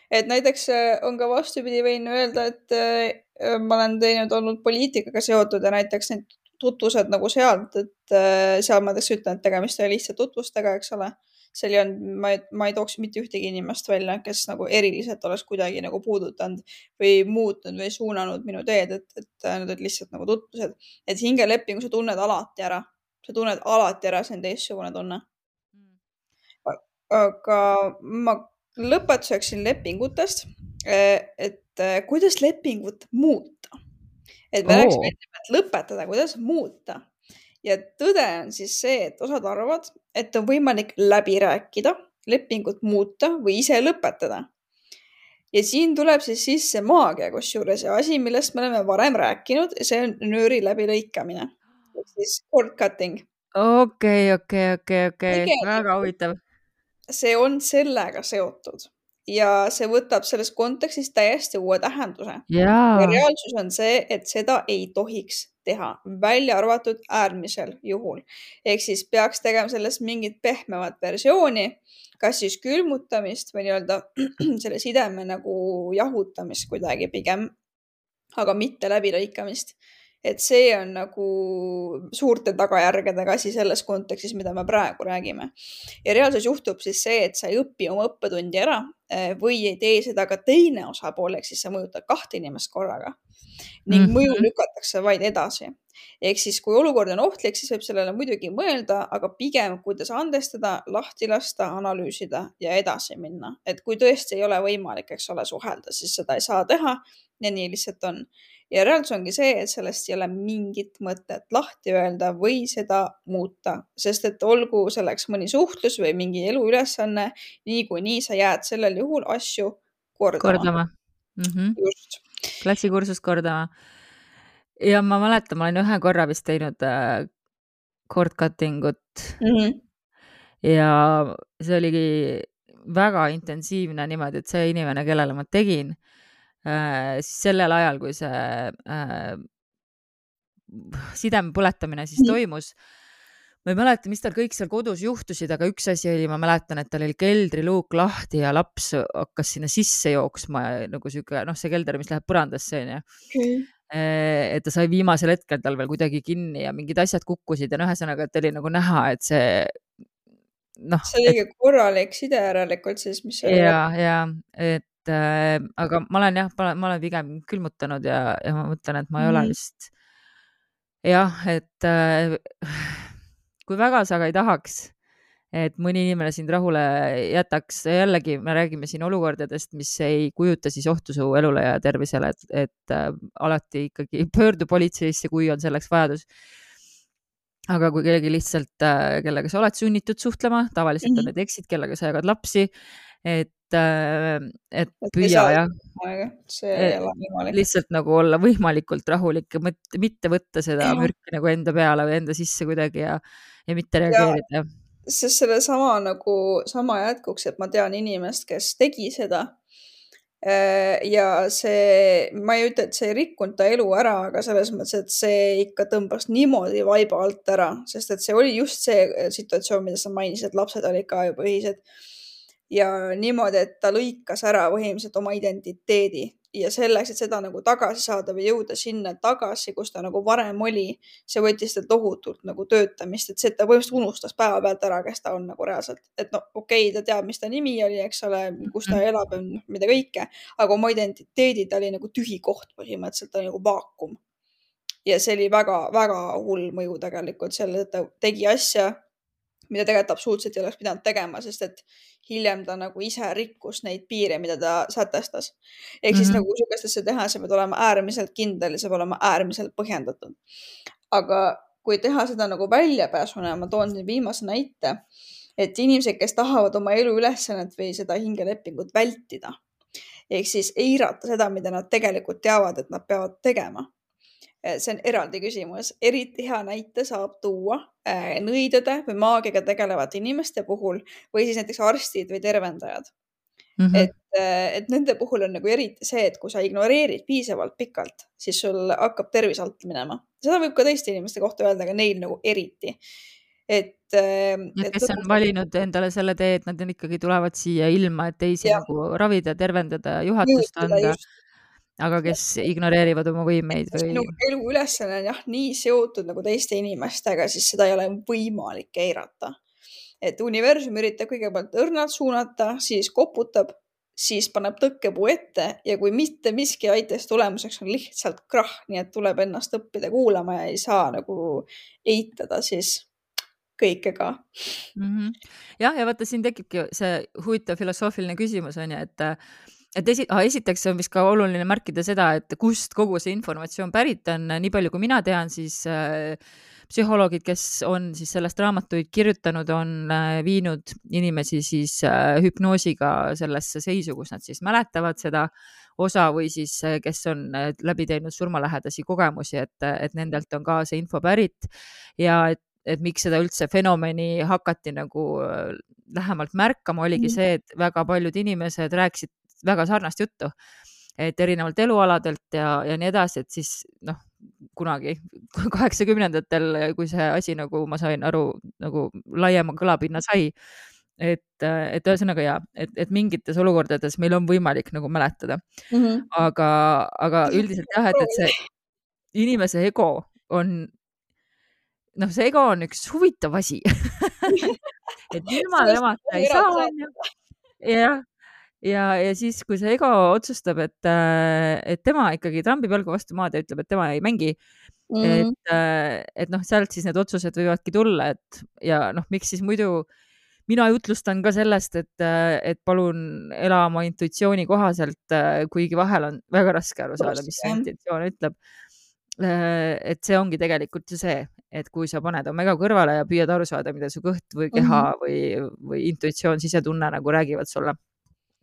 Et näiteks on ka vastupidi võin öelda, et ma olen teinud olnud poliitikaga seotud ja näiteks need tutvused nagu sealt, et seal ma tõesti ütlen, et tegemist oli lihtsalt tutvustega, eks ole. Seal ei on, ma, ma ei tooks mitte ühtegi inimest välja, kes nagu eriliselt oleks kuidagi nagu puudutanud või muutnud või suunanud minu teed, et, et need olid lihtsalt nagu tutvused. Et hingelepingu sa tunned alati ära. Sa tunned alati ära, see on teistsugune tunne. Aga ma lõpetuseks siin lepingutest, et kuidas lepingut muuta. Et me rääks välja, et lõpetada, kuidas muuta. Ja tõde on siis see, et osad arvavad, et on võimalik läbi rääkida, lepingut muuta või ise lõpetada. Ja siin tuleb siis sisse maagia kusjuures ja asi, millest me oleme varem rääkinud, see on nööri läbi lõikamine. Siis cord cutting. Okei, okei, okei, okei. Väga huvitav. See on sellega seotud. Ja see võtab selles kontekstis täiesti uue tähenduse. Ja reaalsus on see, et seda ei tohiks teha, välja arvatud äärmisel juhul. Ehk siis peaks tegema sellest mingit pehmemat versiooni, kas siis külmutamist või nii-öelda selle sideme nagu jahutamist kuidagi pigem, aga mitte läbilõikamist. Et see on nagu suurte tagajärgedega asi selles kontekstis, mida me praegu räägime. Ja reaalsus juhtub siis see, et sa ei õpi oma õppetundi ära või ei tee seda ka teine osapool, ehk siis sa mõjutad kahte inimest korraga. Ning mõju lükatakse vaid edasi. Ehk siis, kui olukord on ohtlik, siis võib sellele muidugi mõelda, aga pigem, kuidas andestada, lahti lasta, analüüsida ja edasi minna. Et kui tõesti ei ole võimalik, eks ole, suhelda, siis seda ei saa teha ja nii lihtsalt on. Ja reaalsus ongi see, et sellest ei ole mingit mõtet lahti öelda või seda muuta, sest et olgu selleks mõni suhtlus või mingi eluülesanne, nii kui nii sa jääd sellel juhul asju kordama. Kordama. Mm-hmm. Just. Klassikursust kordama. Ja ma mäletan, ma olen ühe korra vist teinud äh, cord cutting ut mm-hmm. ja see oligi väga intensiivne niimoodi, et see inimene, kellele ma tegin, äh, siis sellel ajal, kui see äh, sideme põletamine siis mm-hmm. toimus, ma ei mäleta, mis tal kõik seal kodus juhtusid, aga üks asi oli, ma mäletan, et tal oli keldriluuk lahti ja laps hakkas sinna sisse jooksma ja nagu siuke, noh, see kelder, mis läheb põrandasse, onju. Okay. et ta sai viimasel hetkel tal veel kuidagi kinni ja mingid asjad kukkusid ja noh, ühesõnaga, et oli nagu näha, et see noh, see oli et... korralik side järelikult siis, mis oli. ja, ja, et äh, aga ma olen jah, ma olen pigem külmutanud ja, ja ma mõtlen, et ma ei mm. ole vist jah, et äh, kui väga sa aga ei tahaks, et mõni inimene sind rahule jätaks, jällegi me räägime siin olukordadest, mis ei kujuta siis ohtu su elule ja tervisele, et, et äh, alati ikkagi pöördu politseisse, kui on selleks vajadus. Aga kui kellegi lihtsalt, äh, kellega sa oled sunnitud suhtlema, tavaliselt mm-hmm. on need eksid, kellega sa jagad lapsi, et, äh, et püüa ja see ei ole võimalik. Lihtsalt nagu olla võimalikult rahulik ja mitte, mitte võtta seda ja. mürki nagu enda peale või enda sisse kuidagi ja, ja mitte reageerida. Sest selle sama nagu sama jätkuks, et ma tean inimest, kes tegi seda ja see, ma ei ütle, et see ei rikkunud ta elu ära, aga selles mõttes, et see ikka tõmbas niimoodi vaiba alt ära, sest et see oli just see situatsioon, mida sa mainisid, et lapsed olid ka juba ühised ja niimoodi, et ta lõikas ära põhimõtteliselt oma identiteedi ja selleks, et seda nagu tagasi saada või jõuda sinna tagasi, kus ta nagu varem oli, see võttis ta tohutult nagu töötamist, et see, et ta põhimõtteliselt unustas päeva pealt ära, kes ta on nagu reaalselt, et no okei okay,, ta teab, mis ta nimi oli, eks ole, kus ta elab ja mida kõike, aga oma identiteedi ta oli nagu tühi koht põhimõtteliselt, ta oli nagu vaakum. Ja see oli väga, väga hull mõju tegelikult selle, et ta tegi asja, mida tegelikult absoluutselt ei oleks pidanud tegema, sest et hiljem ta nagu ise rikkus neid piire, mida ta sätestas. Ehk siis mm-hmm. nagu sugustesse teha, see peab olema äärmiselt kindel ja see peab olema äärmiselt põhjendatud. Aga kui teha seda nagu väljapääsuna, ma toon siin viimase näite, et inimesed, kes tahavad oma elu ülesannet või seda hingelepingut vältida, ehk siis eirata seda, mida nad tegelikult teavad, et nad peavad tegema. See on eraldi küsimus. Eriti hea näite saab tuua nõidade või maagiaga tegelevate inimeste puhul või siis näiteks arstid või tervendajad. Mm-hmm. Et, et nende puhul on nagu eriti see, et kui sa ignoreerid piisavalt pikalt, siis sul hakkab tervis alt minema. Seda võib ka teiste inimeste kohta öelda, aga neil nagu eriti. Et, et kes on valinud endale selle tee, et nad ikkagi tulevad siia ilma, et teisi ja. nagu ravida, tervendada, juhatust anda. Just. Aga kes ignoreerivad oma võimeid või... Minu elu ülesanne on jah nii seotud nagu teiste inimestega, siis seda ei ole võimalik eirata. Et universum üritab kõigepealt õrnalt suunata, siis koputab, siis paneb tõkkepuu ette ja kui mitte miski aitas, tulemuseks on lihtsalt krah, nii et tuleb ennast õppida kuulama ja ei saa nagu eitada siis kõike ka. Mm-hmm. Jah, ja vaata, siin tekibki see huvitav filosoofiline küsimus on ja, et Et esi, ah, esiteks on vist ka oluline märkida seda, et kust kogu see informatsioon pärit on. Nii palju, kui mina tean, siis äh, psühholoogid, kes on siis sellest raamatuid kirjutanud, on äh, viinud inimesi siis äh, hüpnoosiga sellesse seisu, kus nad siis mäletavad seda osa või siis äh, kes on äh, läbi teinud surmalähedasi kogemusi, et, et nendelt on ka see info pärit ja et, et miks seda üldse fenomeni hakati nagu äh, lähemalt märkama, oligi see, et väga paljud inimesed rääkisid väga sarnast juttu, et erinevalt elualadelt ja, ja nii edasi, et siis noh, kunagi kaheksakümnendatel, kui see asi nagu ma sain aru, nagu laiema kõlapinna sai, et, et ühesõnaga ja, et, et mingites olukordades meil on võimalik nagu mäletada. Mm-hmm. Aga, aga üldiselt jah, et, et see inimese ego on, noh, see ego on üks huvitav asi. et ilma temata ei saa. Jah. Ja, ja siis, kui see ego otsustab, et, et tema ikkagi trambib jalgu vastu maad ja ütleb, et tema ei mängi, mm. et, et noh, sealt siis need otsused võivadki tulla, et ja noh, miks siis muidu mina jutlustan ka sellest, et, et palun ela oma intuitsiooni kohaselt, kuigi vahel on väga raske aru saada, mis see intuitsioon ütleb. Et see ongi tegelikult ju see, et kui sa paned oma ego kõrvale ja püüad aru saada, mida su kõht või keha mm-hmm. või, või intuitsioon, sisetunne nagu räägivad sulle.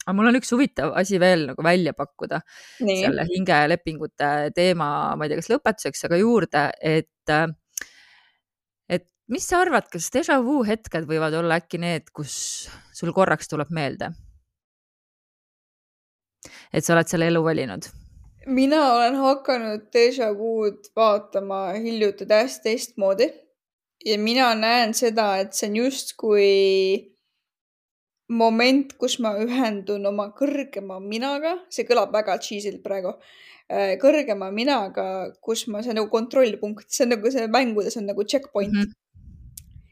Aga mul on üks huvitav asi veel nagu välja pakkuda nii. Selle hingelepingute teema, ma ei tea, kas lõpetuseks, aga juurde, et, et mis sa arvad, kas déjà vu hetked võivad olla äkki need, kus sul korraks tuleb meelde? Et sa oled selle elu valinud? Mina olen hakanud déjà vu'd vaatama hiljuti täiesti teistmoodi ja mina näen seda, et see on just kui moment, kus ma ühendun oma kõrgema minaga, see kõlab väga cheesy'lt praegu, kõrgema minaga, kus ma, see on nagu kontrollpunkt, see on nagu see mängudes on nagu checkpoint. Mhm.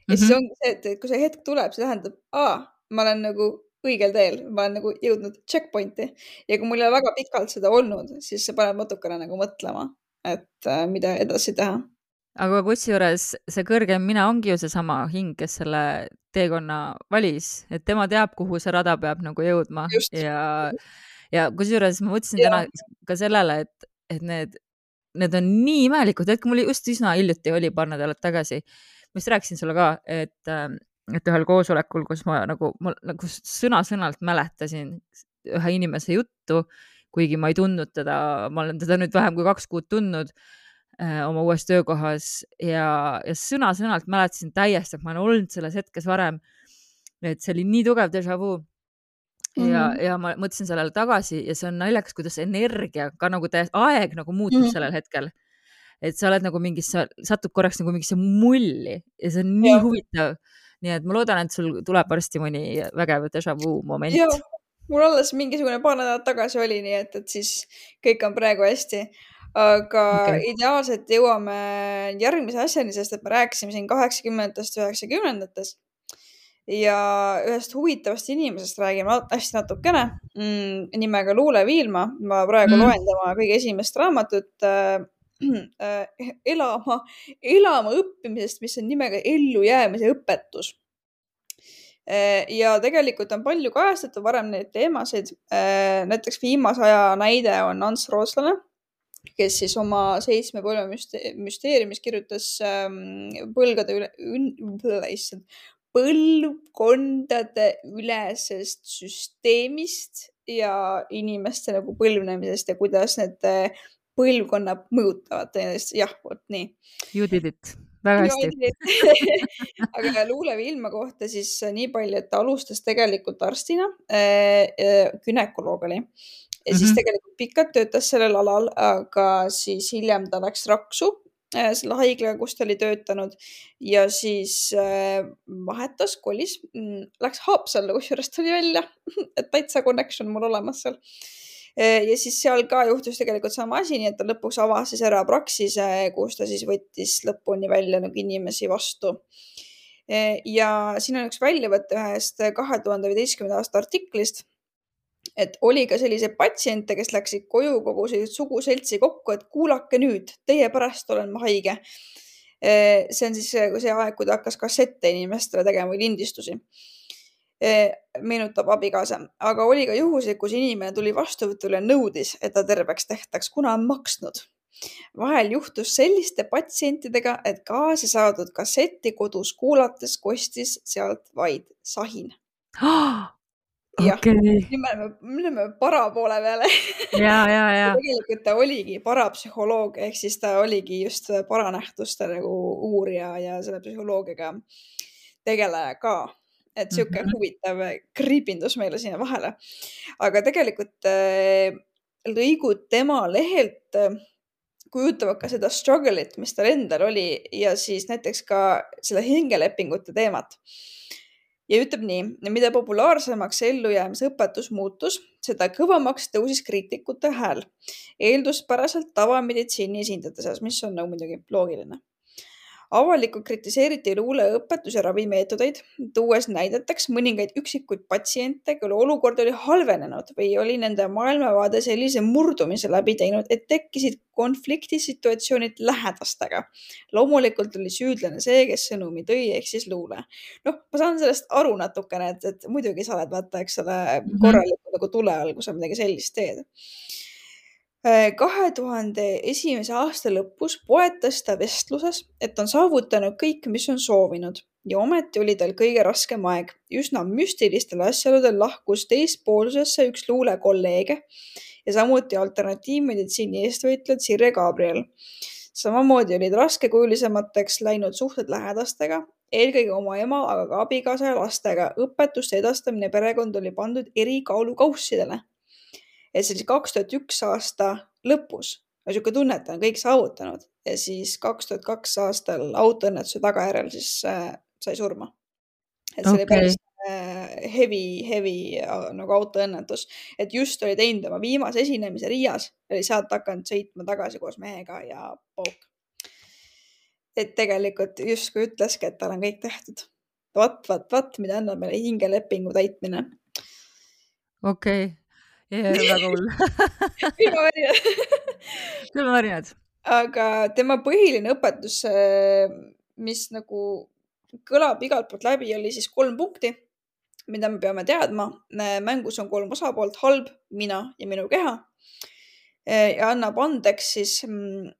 Ja siis Mhm. ongi see, et kui see hetk tuleb, see tähendab, aa, ma olen nagu õigel teel, ma olen nagu jõudnud checkpointi. Ja kui mul ei ole väga pikalt seda olnud, siis see paneb natukene nagu mõtlema, et äh, mida edasi teha. Aga kusjuures see kõrgem mina ongi ju seesama hing, kes selle teekonna valis, et tema teab, kuhu see rada peab nagu jõudma. Just. Ja, ja kusjuures ma mõtlesin Ja. täna ka sellele, et, et need, need on nii imelikud, et mul just üsna hiljuti oli paar nädalat tagasi. Ma just rääkisin sulle ka, et, et ühel koosolekul, kus ma nagu, ma nagu sõna-sõnalt mäletasin ühe inimese juttu, kuigi ma ei tundnud teda, ma olen teda nüüd vähem kui kaks kuud tundnud oma uues töökohas ja, ja sõna-sõnalt mäletasin täiesti, et ma olen olnud selles hetkes varem, et see oli nii tugev déjà vu ja, mm -hmm. ja ma mõtlesin sellele tagasi ja see on naljakas, kuidas energia ka nagu täiesti, aeg nagu muutub mm -hmm. sellel hetkel, et sa oled nagu mingis, satud korraks nagu mingisse mulli ja see on nii ja. huvitav, nii et ma loodan, et sul tuleb varsti mõni vägev déjà vu moment. Ja, mul alles mingisugune paar nädalat tagasi oli, nii et, et siis kõik on praegu hästi. Aga okay. Ideaalselt jõuame järgmise asjani, sest et me rääkisime siin kaheksakümnendatest, üheksakümnendatest ja ühest huvitavast inimesest räägime hästi natukene mm, nimega Luule Viilma. Ma praegu mm. loen tema kõige esimest raamatut äh, äh, elama, elama õppimisest, mis on nimega Ellujäämise õpetus. Äh, ja tegelikult on palju kajastatud varem neid teemasid. Äh, näiteks viimase aja näide on Ants Rootslane, kes siis oma seitsme põlve müsteeriumis kirjutas ähm, põlgade üle, ün, põlvkondade ülesest süsteemist ja inimeste nagu põlvnemisest ja kuidas need põlvkonnad mõjutavad teineteist. Jah, vot nii. You did it. Väga hästi. Aga Luule Viilma kohta siis nii palju, et ta alustas tegelikult arstina, äh, günekoloog oli. Ja siis tegelikult pikalt töötas sellel alal, aga siis hiljem ta läks Raksu äh, selle haiglaga, kus ta oli töötanud ja siis äh, vahetas, kolis, läks Haapsallu, kusjuures tuli välja, et täitsa connection mul olemas seal. Äh, ja siis seal ka juhtus tegelikult sama asi, nii et ta lõpuks avas siis ära praksise, kus ta siis võttis lõpuni välja nagu inimesi vastu. Äh, ja siin on üks väljavõte ühest kahe tuhande viieteistkümnenda aasta artiklist, et oli ka selliseid patsiente, kes läksid koju kogu sellist suguseltsi kokku, et kuulake nüüd, teie pärast olen ma haige. See on siis see aeg, kui ta hakkas kassette inimestele tegema või lindistusi. Meenutab abikaasa. Aga oli ka juhuseid, kus inimene tuli vastuvõtule ja nõudis, et ta terveks tehtaks, kuna on maksnud. Vahel juhtus selliste patsientidega, et kaasa saadud kassetti kodus kuulates kostis sealt vaid sahin. Jah, okay. me oleme para poole peale. Ja, ja, ja. Tegelikult ta oligi parapsühholoog, ehk siis ta oligi just paranähtuste nagu uurija ja selle psühholoogiaga tegeleja ka. Et siuke mm-hmm. huvitav kriipindus meile sinna vahele. Aga tegelikult äh, lõigud tema lehelt äh, kujutavad ka seda struggle'it, mis tal endal oli ja siis näiteks ka selle hingelepingute teemat. Ja ütleb nii, mida populaarsemaks ellujäämise õpetus muutus, seda kõvamaks tõusis kriitikute hääl. Eelduspäraselt tavameditsiini esindajate seas, mis on nagu muidugi loogiline. Avalikult kritiseeriti Luule õpetus- ja ravimeetodeid, tuues näideteks mõningaid üksikuid patsiente, kelle olukord oli halvenenud või oli nende maailmavaade sellise murdumise läbi teinud, et tekkisid konfliktisituatsioonid lähedastega. Loomulikult oli süüdlane see, kes sõnumi tõi, ehk siis Luule. Noh, ma saan sellest aru natukene, et, et muidugi sa oled vaata, eks ole, korralikult nagu tule all, kui sa midagi sellist teed. kahe tuhande esimese aasta lõpus poetas ta vestluses, et on saavutanud kõik, mis on soovinud ja ometi oli tal kõige raskem aeg. Üsna müstilistel asjaoludel lahkus teispoolsusesse üks Luule kolleege ja samuti alternatiivmeditsiini eestvõitlejad Sirje Gabriel. Samamoodi olid raskekujulisemateks läinud suhted lähedastega, eelkõige oma ema, aga ka abikaasa ja lastega. Õpetuste edastamine perekond oli pandud eri kaalukaussidele. Et siis kaks tuhat üks aasta lõpus aga siuke tunne, et ta on kõik saavutanud ja siis kaks tuhat kaks aastal autoõnnetuse tagajärjel siis äh, sai surma. Et see oli päris okei, äh, heavy, heavy äh, nagu autoõnnetus, et just oli teinud oma viimase esinemise Riias, oli sealt hakanud sõitma tagasi koos mehega ja pauk. Et tegelikult justkui ütleski, et tal on kõik tehtud. Vat, vat, vat, mida annab meile hingelepingu täitmine. okei. Ja, väga hull. Külmavärinad. Külmavärinad. Aga tema põhiline õpetus, äh, mis nagu kõlab igalt poolt läbi, oli siis kolm punkti, mida me peame teadma. Äh, Mängus on kolm osapoolt, halb, mina ja minu keha. Äh, Ja annab andeks siis mm,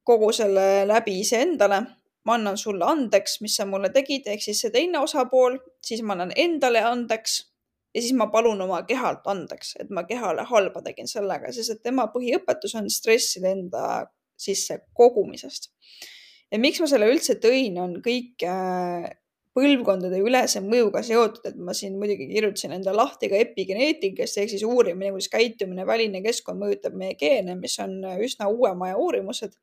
kogu selle läbi iseendale. Ma annan sulle andeks, mis sa mulle tegid, ehk siis see teine osapool, siis ma annan endale andeks ja siis ma palun oma kehalt andeks, et ma kehale halba tegin sellega, sest et tema põhiõpetus on stresside enda sisse kogumisest. Ja miks ma selle üldse tõin, on kõik äh, põlvkondade ülese mõjuga seotud, et ma siin muidugi kirjutasin enda lahti ka epigeneetikast, ehk siis uurimine, kuidas käitumine, väline keskkond mõjutab meie geene, mis on üsna uuema aja uurimused.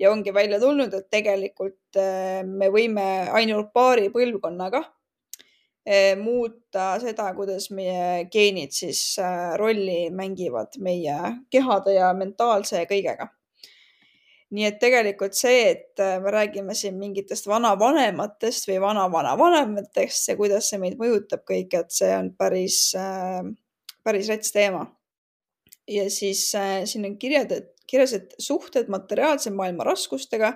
Ja ongi välja tulnud, et tegelikult äh, me võime ainult paari põlvkonnaga äh, muuta seda, kuidas meie geenid siis äh, rolli mängivad meie kehade ja mentaalse ja kõigega. Nii et tegelikult see, et äh, me räägime siin mingitest vanavanematest või vana-vana-vanematest ja kuidas see meid mõjutab kõik, et see on päris, äh, päris rets teema. Ja siis äh, siin on kirjad, et, kirjas, et suhted materiaalse maailma raskustega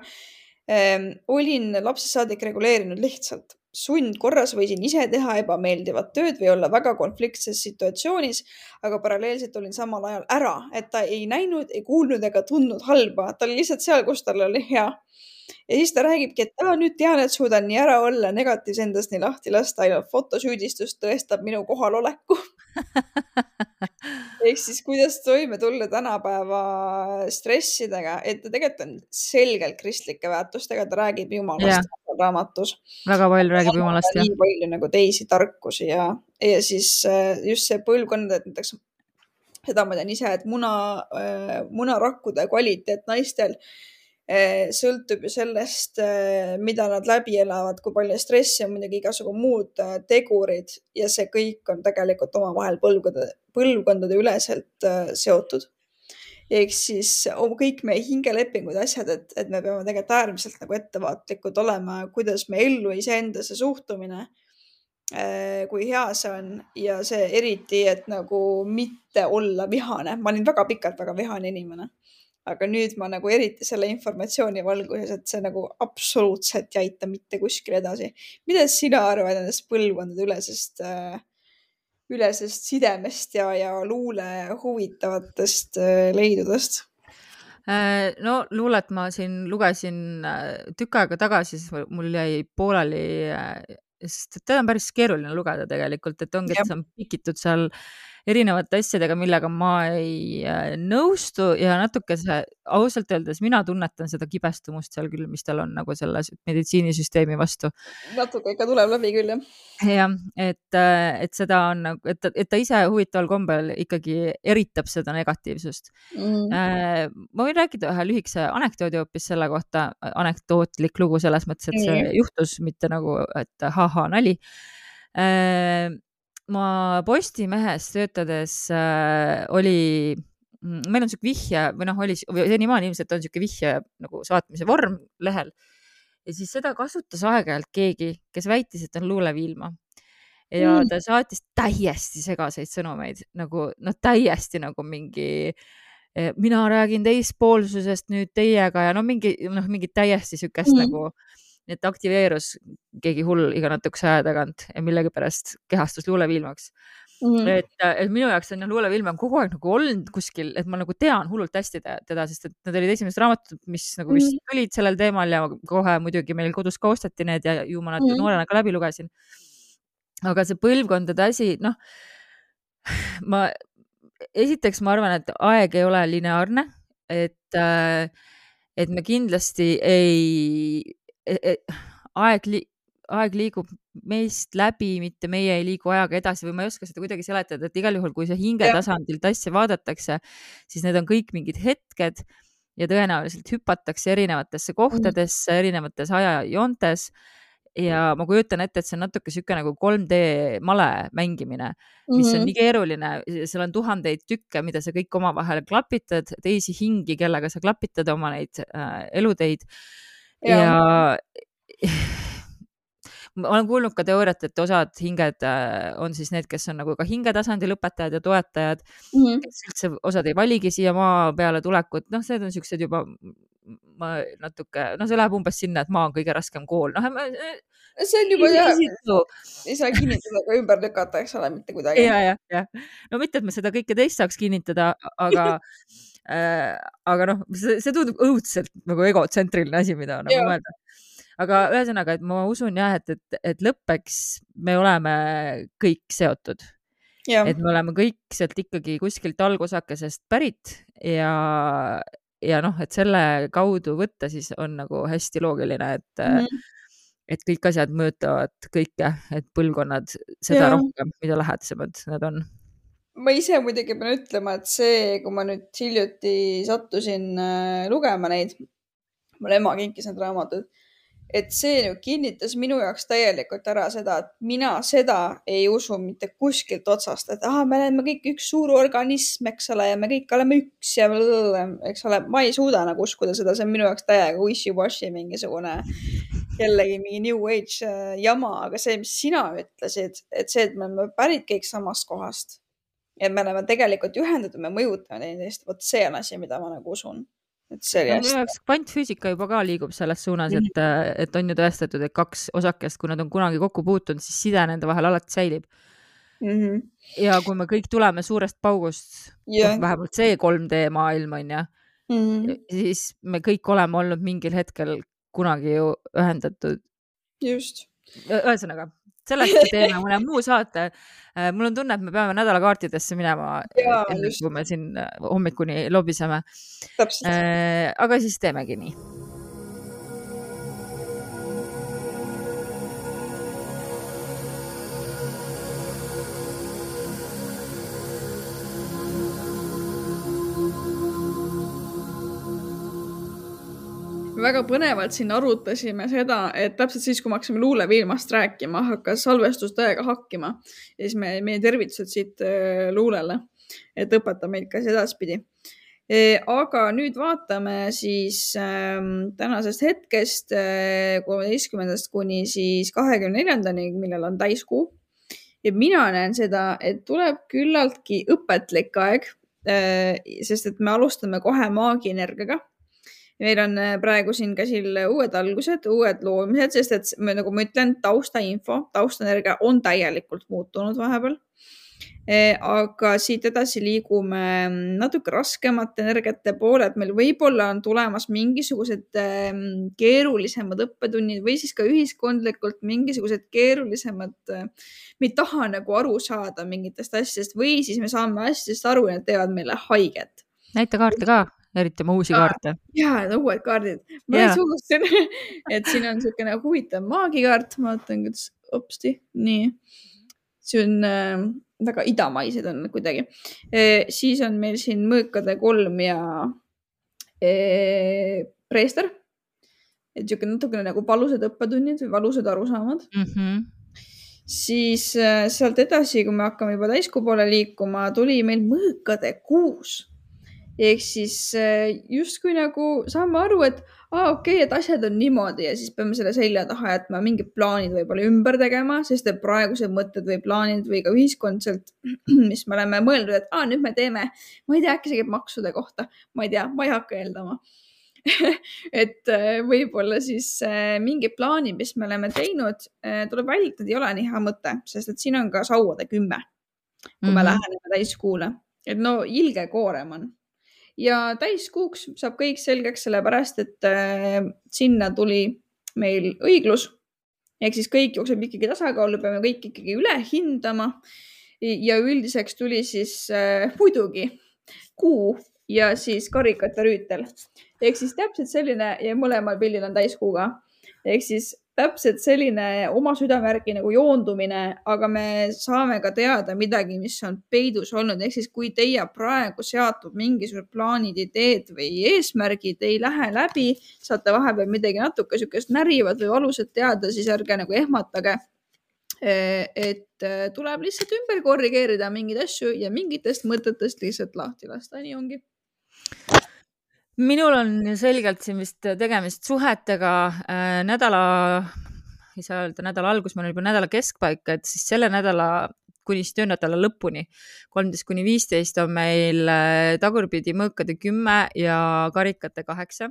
ähm, olin lapsest saadik reguleerinud lihtsalt. Sundkorras võisin ise teha ebameeldivat tööd või olla väga konfliktses situatsioonis, aga paralleelselt olin samal ajal ära, et ta ei näinud, ei kuulnud ega tundnud halba. Ta oli lihtsalt seal, kus tal oli hea. Ja siis ta räägibki, et ah, nüüd tean, et suudan nii ära olla, negatiivse endast nii lahti lasta, ainult fotosüüdistus tõestab minu kohaloleku. Ehk siis kuidas toime tulla tänapäeva stressidega, et ta tegelikult on selgelt kristlike väärtustega, ta räägib Jumalast Jah, raamatus. väga palju räägib Annab Jumalast, ka jah. nii palju nagu teisi tarkusi ja, ja siis äh, just see põlvkond, et näiteks seda ma tean ise, et muna, äh, munarakkude kvaliteet naistel äh, sõltub ju sellest, äh, mida nad läbi elavad, kui palju stressi on muidugi igasugu muud äh, tegurid ja see kõik on tegelikult omavahel põlvkondade, põlvkondade üleselt äh, seotud. Ehk siis o- kõik meie hingelepingud, asjad, et, et me peame tegelikult äärmiselt nagu ettevaatlikud olema, kuidas me ellu iseendasse suhtumine, äh, kui hea see on ja see eriti, et nagu mitte olla vihane. Ma olin väga pikalt väga vihane inimene, aga nüüd ma nagu eriti selle informatsiooni valguses, et see nagu absoluutselt ei aita mitte kuskile edasi. Mida sina arvad nendest põlvkondade ülesest, äh, ülesest sidemest ja, ja luule huvitavatest äh, leidudest? Äh, No luulet ma siin lugesin äh, tükk aega tagasi, siis mul- mul jäi pooleli, äh, sest et teda on päris keeruline lugeda tegelikult, et ongi, Jah. et see on pikitud seal erinevate asjadega, millega ma ei äh, nõustu ja natuke see, ausalt öeldes mina tunnetan seda kibestumust seal küll, mis tal on nagu selle sü- meditsiinisüsteemi vastu. Natuke ikka tuleb läbi küll, jah. Jah, et, äh, et seda on nagu, et, ta- et ta ise huvitaval kombel ikkagi eritab seda negatiivsust. Mm. Äh, ma võin rääkida ühe lühikese anekdoodi hoopis selle kohta, anekdootlik lugu selles mõttes, et see Nii. juhtus mitte nagu, et haha, nali. Äh, Ma Postimehes töötades äh, oli, mm, meil on siuke vihje või noh, oli või senimaani ilmselt on siuke vihje nagu saatmise vorm lehel ja siis seda kasutas aeg-ajalt keegi, kes väitis, et on luuleviilma ja Mm. ta saatis täiesti segaseid sõnumeid, nagu noh, täiesti nagu mingi eh, mina räägin teispoolsusest nüüd teiega ja no mingi noh, mingi täiesti siukest Mm. nagu, et aktiveerus keegi hull iga natukese aja tagant ja millegipärast kehastus luuleviilmaks. Mm. Et, et minu jaoks on jah, luulevilm on kogu aeg nagu olnud kuskil, et ma nagu tean hullult hästi te- teda, sest et need olid esimesed raamatud, mis nagu vist Mm. tulid sellel teemal ja kohe muidugi meil kodus ka osteti need ja ju ma nad Mm. noorena ka läbi lugesin. Aga see põlvkondade asi, noh, ma esiteks ma arvan, et aeg ei ole lineaarne, et, äh, et me kindlasti ei, e- e- aeg, li- aeg liigub meist läbi, mitte meie ei liigu ajaga edasi või ma ei oska seda kuidagi seletada, et igal juhul, kui see hinge Jah. tasandilt asja vaadatakse, siis need on kõik mingid hetked ja tõenäoliselt hüpatakse erinevatesse kohtadesse, erinevates ajajoontes ja ma kujutan ette, et see on natuke siuke nagu kolm D male mängimine, mis on Mhm. nii keeruline, seal on tuhandeid tükke, mida sa kõik omavahel klapitad, teisi hingi, kellega sa klapitad oma neid äh, eluteid Jaa. ja ma olen kuulnud ka teooriat, et osad hinged äh, on siis need, kes on nagu ka hingetasandil õpetajad ja toetajad, Mhm. kes üldse osad ei valigi siia maa peale tulekut, noh, need on siuksed juba ma natuke, no see läheb umbes sinna, et maa on kõige raskem kool, noh, see on juba jah, isitu. ei saa kinnitada ega ümber lükata, eks ole, mitte kuidagi. ja, ja, ja. No mitte, et ma seda kõike teist saaks kinnitada, aga äh, aga noh, see, see tundub õudselt nagu egotsentriline asi, mida nagu Jaa. mõelda. Aga ühesõnaga, et ma usun jah, et, et, et lõppeks me oleme kõik seotud. Jaa. Et me oleme kõik sealt ikkagi kuskilt algosakesest pärit ja, ja noh, et selle kaudu võtta siis on nagu hästi loogiline, et Mhm. et kõik asjad mõjutavad kõike, et põlvkonnad seda Jaa. rohkem, mida lähedasemad nad on. Ma ise muidugi pean ütlema, et see, kui ma nüüd hiljuti sattusin äh, lugema neid, mul ema kinkis need raamatud, et see nüüd kinnitas minu jaoks täielikult ära seda, et mina seda ei usu mitte kuskilt otsast, et aha, me oleme kõik üks suur organism, eks ole, ja me kõik oleme üks ja blablabla, eks ole, ma ei suuda nagu uskuda seda, see on minu jaoks täiega wishy-washy mingisugune jällegi mingi new age äh, jama, aga see, mis sina ütlesid, et see, et me oleme pärit kõik samast kohast ja me oleme tegelikult ühendatud, me mõjutame teineteist, vot see on asi, mida ma nagu usun. Et see oli No, minu hästi. jaoks kvantfüüsika juba ka liigub selles suunas, et, et on ju tõestatud, et kaks osakest, kui nad on kunagi kokku puutunud, siis side nende vahel alati säilib. Mm -hmm. Ja kui me kõik tuleme suurest paugust, Yeah. noh, vähemalt see kolm D maailm on ja, Mm -hmm. siis me kõik oleme olnud mingil hetkel kunagi ju ühendatud. Just. Ühesõnaga, sellest teeme mõne muu saate. Mul on tunne, et me peame nädalakaartidesse minema, Jaa, enne just. kui me siin hommikuni lobiseme. Täpselt. Aga siis teemegi nii. Väga põnevalt siin arutasime seda, et täpselt siis, kui me hakkasime luuleviilmast rääkima, hakkas salvestus täiega hakkima. Ja siis me, meie tervitused siit luulele, et õpeta meid ka edaspidi. Aga nüüd vaatame siis äh, tänasest hetkest äh, kolmeteistkümnendast kuni siis kahekümne neljandani, millal on täiskuu. Ja mina näen seda, et tuleb küllaltki õpetlik aeg, äh, sest et me alustame kohe maagienergiaga. Meil on praegu siin käsil uued algused, uued loomised, sest et me, nagu ma ütlen, taustainfo, taustaenergia on täielikult muutunud vahepeal. Aga siit edasi liigume natuke raskemate energiate poole, et meil võib-olla on tulemas mingisugused keerulisemad õppetunnid või siis ka ühiskondlikult mingisugused keerulisemad, me ei taha nagu aru saada mingitest asjadest või siis me saame asjadest aru ja need teevad meile haiget. Näita kaarte ka, eriti oma uusi kaarte. Jaa, uued kaardid. Ma yeah. unustasin, et siin on niisugune huvitav maagikaart. Ma vaatan, kuidas opsti. Nii. See on äh, väga idamaised on kuidagi. E, siis on meil siin mõõkade kolm ja e, preester. Et niisugune natukene nagu valusad õppetunnid või valusad arusaamad. Mm -hmm. Siis äh, sealt edasi, kui me hakkame juba täiskuu poole liikuma, tuli meil mõõkade kuus. Ehk siis justkui nagu saame aru, et aa, okei, et asjad on niimoodi ja siis peame selle selja taha jätma mingid plaanid võib-olla ümber tegema, sest et praegused mõtted või plaanid või ka ühiskondselt, mis me oleme mõeldud, et aa, nüüd me teeme, ma ei tea, äkki see käib maksude kohta, ma ei tea, ma ei hakka eeldama. et võib-olla siis mingi plaani, mis me oleme teinud, tuleb välja, et ei ole nii hea mõte, sest et siin on ka sauade kümme, kui me mm -hmm. läheneme täiskuule. Et no ilge koorem on. Ja täiskuuks saab kõik selgeks sellepärast, et äh, sinna tuli meil õiglus. Ehk siis kõik jookseb ikkagi tasakaalu, peame kõik ikkagi üle hindama. Ja üldiseks tuli siis äh, muidugi kuu ja siis karikate rüütel. Ehk siis täpselt selline ja mõlemal pildil on täiskuuga. ehk siis täpselt selline oma südamärgi nagu joondumine, aga me saame ka teada midagi, mis on peidus olnud. Ehk siis kui teie praegu seatud mingisugused plaanid, ideed või eesmärgid ei lähe läbi, saate vahepeal midagi natuke sükest närivad või valusat teada, siis ärge nagu ehmatage. Et tuleb lihtsalt ümber korrigeerida mingeid asju ja mingitest mõtetest lihtsalt lahti lasta. Nii ongi. Minul on selgelt siin vist tegemist suhetega äh, nädala, ei saa öelda nädala algus, meil on juba nädala keskpaika, et siis selle nädala kuni töönädala lõpuni, kolmteist kuni viisteist on meil tagurpidi mõõkade kümme ja karikate kaheksa.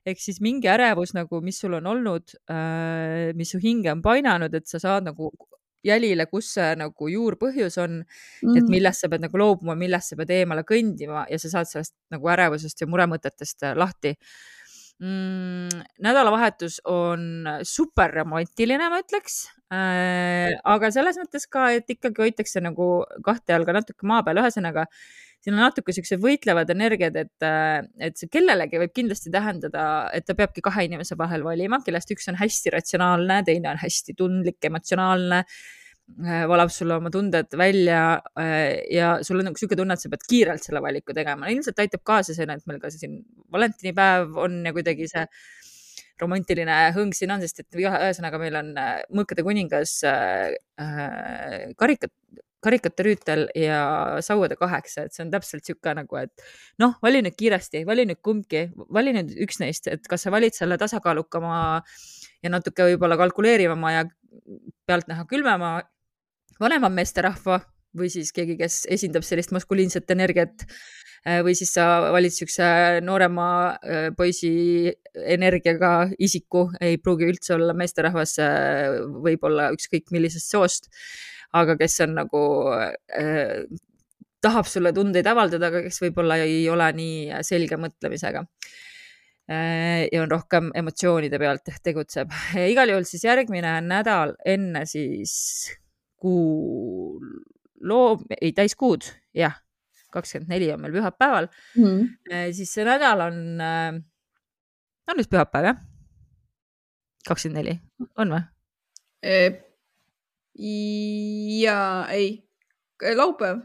Ehk siis mingi ärevus, nagu, mis sul on olnud, äh, mis su hinge on painanud, et sa saad nagu jälile, kus see nagu juurpõhjus on, mm. et millest sa pead nagu loobuma, millest sa pead eemale kõndima ja sa saad sellest nagu ärevusest ja muremõtetest lahti. Mm, nädalavahetus on super romantiline, ma ütleks, äh, aga selles mõttes ka, et ikkagi hoitakse nagu kahte jalga natuke maa peal. Ühesõnaga, siin on natuke sellised võitlevad energiad, et, et see kellelegi võib kindlasti tähendada, et ta peabki kahe inimese vahel valima, kellest üks on hästi ratsionaalne, teine on hästi tundlik, emotsionaalne, valab sulle oma tunded välja ja sul on nagu siuke tunne, et sa pead kiirelt selle valiku tegema. Ilmselt aitab kaasa see, et meil ka siin valentinipäev on ja kuidagi see romantiline hõng siin on, sest et ühesõnaga meil on mõõkade kuningas karikat karikate rüütel ja sauade kaheksa, et see on täpselt siuke nagu, et noh, vali nüüd kiiresti, vali nüüd kumbki, vali nüüd üks neist, et kas sa valid selle tasakaalukama ja natuke võib-olla kalkuleerivama ja pealtnäha külmema vanema meesterahva või siis keegi, kes esindab sellist maskuliinset energiat või siis sa valid siukse noorema poisi energiaga isiku, ei pruugi üldse olla meesterahvas, võib-olla ükskõik millisest soost, aga kes on nagu äh, tahab sulle tundeid avaldada, aga kes võib-olla ei ole nii selge mõtlemisega äh, ja on rohkem emotsioonide pealt tegutseb. Igal juhul siis järgmine nädal enne siis kuu loo, ei täiskuud, jah, kakskümmend neli on meil pühapäeval, mm. äh, siis see nädal on äh, on vist pühapäev, jah? kakskümmend neli, on või? E ja ei, laupäev.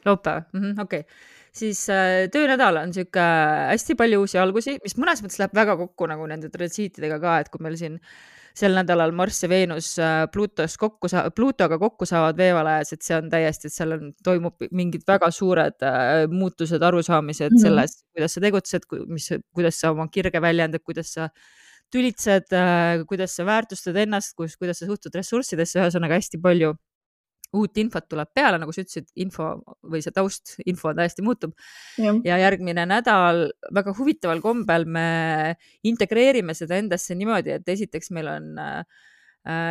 Laupäev, mm-hmm, okei. Okay. Siis äh, töönädal on siuke hästi palju uusi algusi, mis mõnes mõttes läheb väga kokku nagu nende transiitidega ka, et kui meil siin sel nädalal Marss ja Veenus äh, Pluutos kokku sa-, Pluutoga kokku saavad veevalajas, et see on täiesti, et seal on, toimub mingid väga suured äh, muutused, arusaamised mm-hmm. selles, kuidas sa tegutsed, mis, kuidas sa oma kirge väljendad, kuidas sa tülitsed, kuidas sa väärtustad ennast, kuidas sa suhtud ressurssidesse, ühesõnaga hästi palju uut infot tuleb peale, nagu sa ütlesid, info või see taust, info on täiesti muutub. Ja. ja järgmine nädal väga huvitaval kombel me integreerime seda endasse niimoodi, et esiteks meil on äh,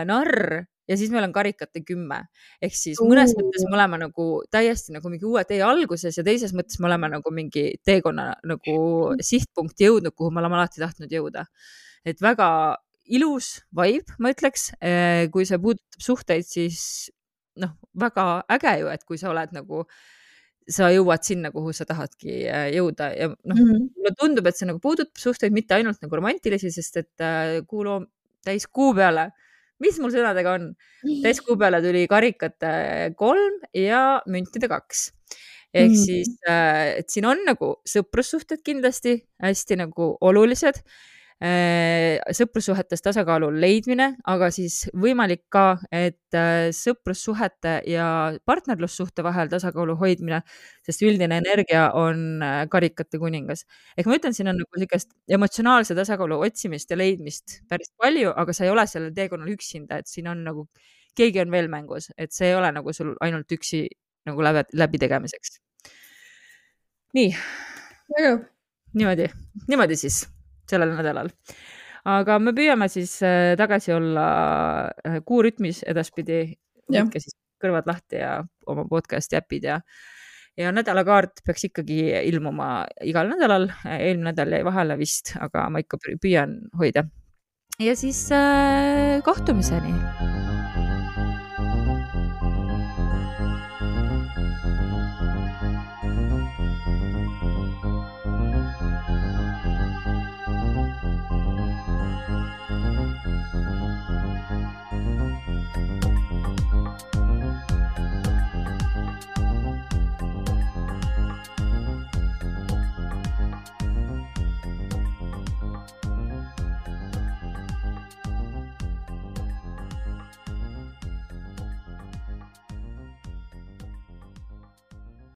narr ja siis meil on karikate kümme. Ehk siis mõnes uh. mõttes me oleme nagu täiesti nagu mingi uue tee alguses ja teises mõttes me oleme nagu mingi teekonna nagu sihtpunkti jõudnud, kuhu me oleme alati tahtnud jõuda. Et väga ilus vibe, ma ütleks, kui see puudutab suhteid, siis noh, väga äge ju, et kui sa oled nagu, sa jõuad sinna, kuhu sa tahadki jõuda ja noh, mm-hmm. mulle tundub, et see nagu puudutab suhteid mitte ainult nagu romantilisi, sest et kuu loo täis kuu peale, mis mul sõnadega on, täis kuu peale tuli karikate kolm ja müntide kaks. Ehk mm-hmm. siis, et siin on nagu sõprussuhted kindlasti hästi nagu olulised, sõprussuhetes tasakaalu leidmine, aga siis võimalik ka, et sõprussuhete ja partnerlussuhte vahel tasakaalu hoidmine, sest üldine energia on karikate kuningas. Ehk ma ütlen, siin on nagu sellist emotsionaalse tasakaalu otsimist ja leidmist päris palju, aga sa ei ole sellel teekonnal üksinda, et siin on nagu, keegi on veel mängus, et see ei ole nagu sul ainult üksi nagu läbi, läbi tegemiseks. Nii. Niimoodi, niimoodi siis. Sellel nädalal. Aga me püüame siis tagasi olla kuurütmis edaspidi, võtke siis kõrvad lahti ja oma podcasti äpid ja, ja nädalakaart peaks ikkagi ilmuma igal nädalal, eelmine nädal jäi vahele vist, aga ma ikka püüan hoida. Ja siis äh, kohtumiseni!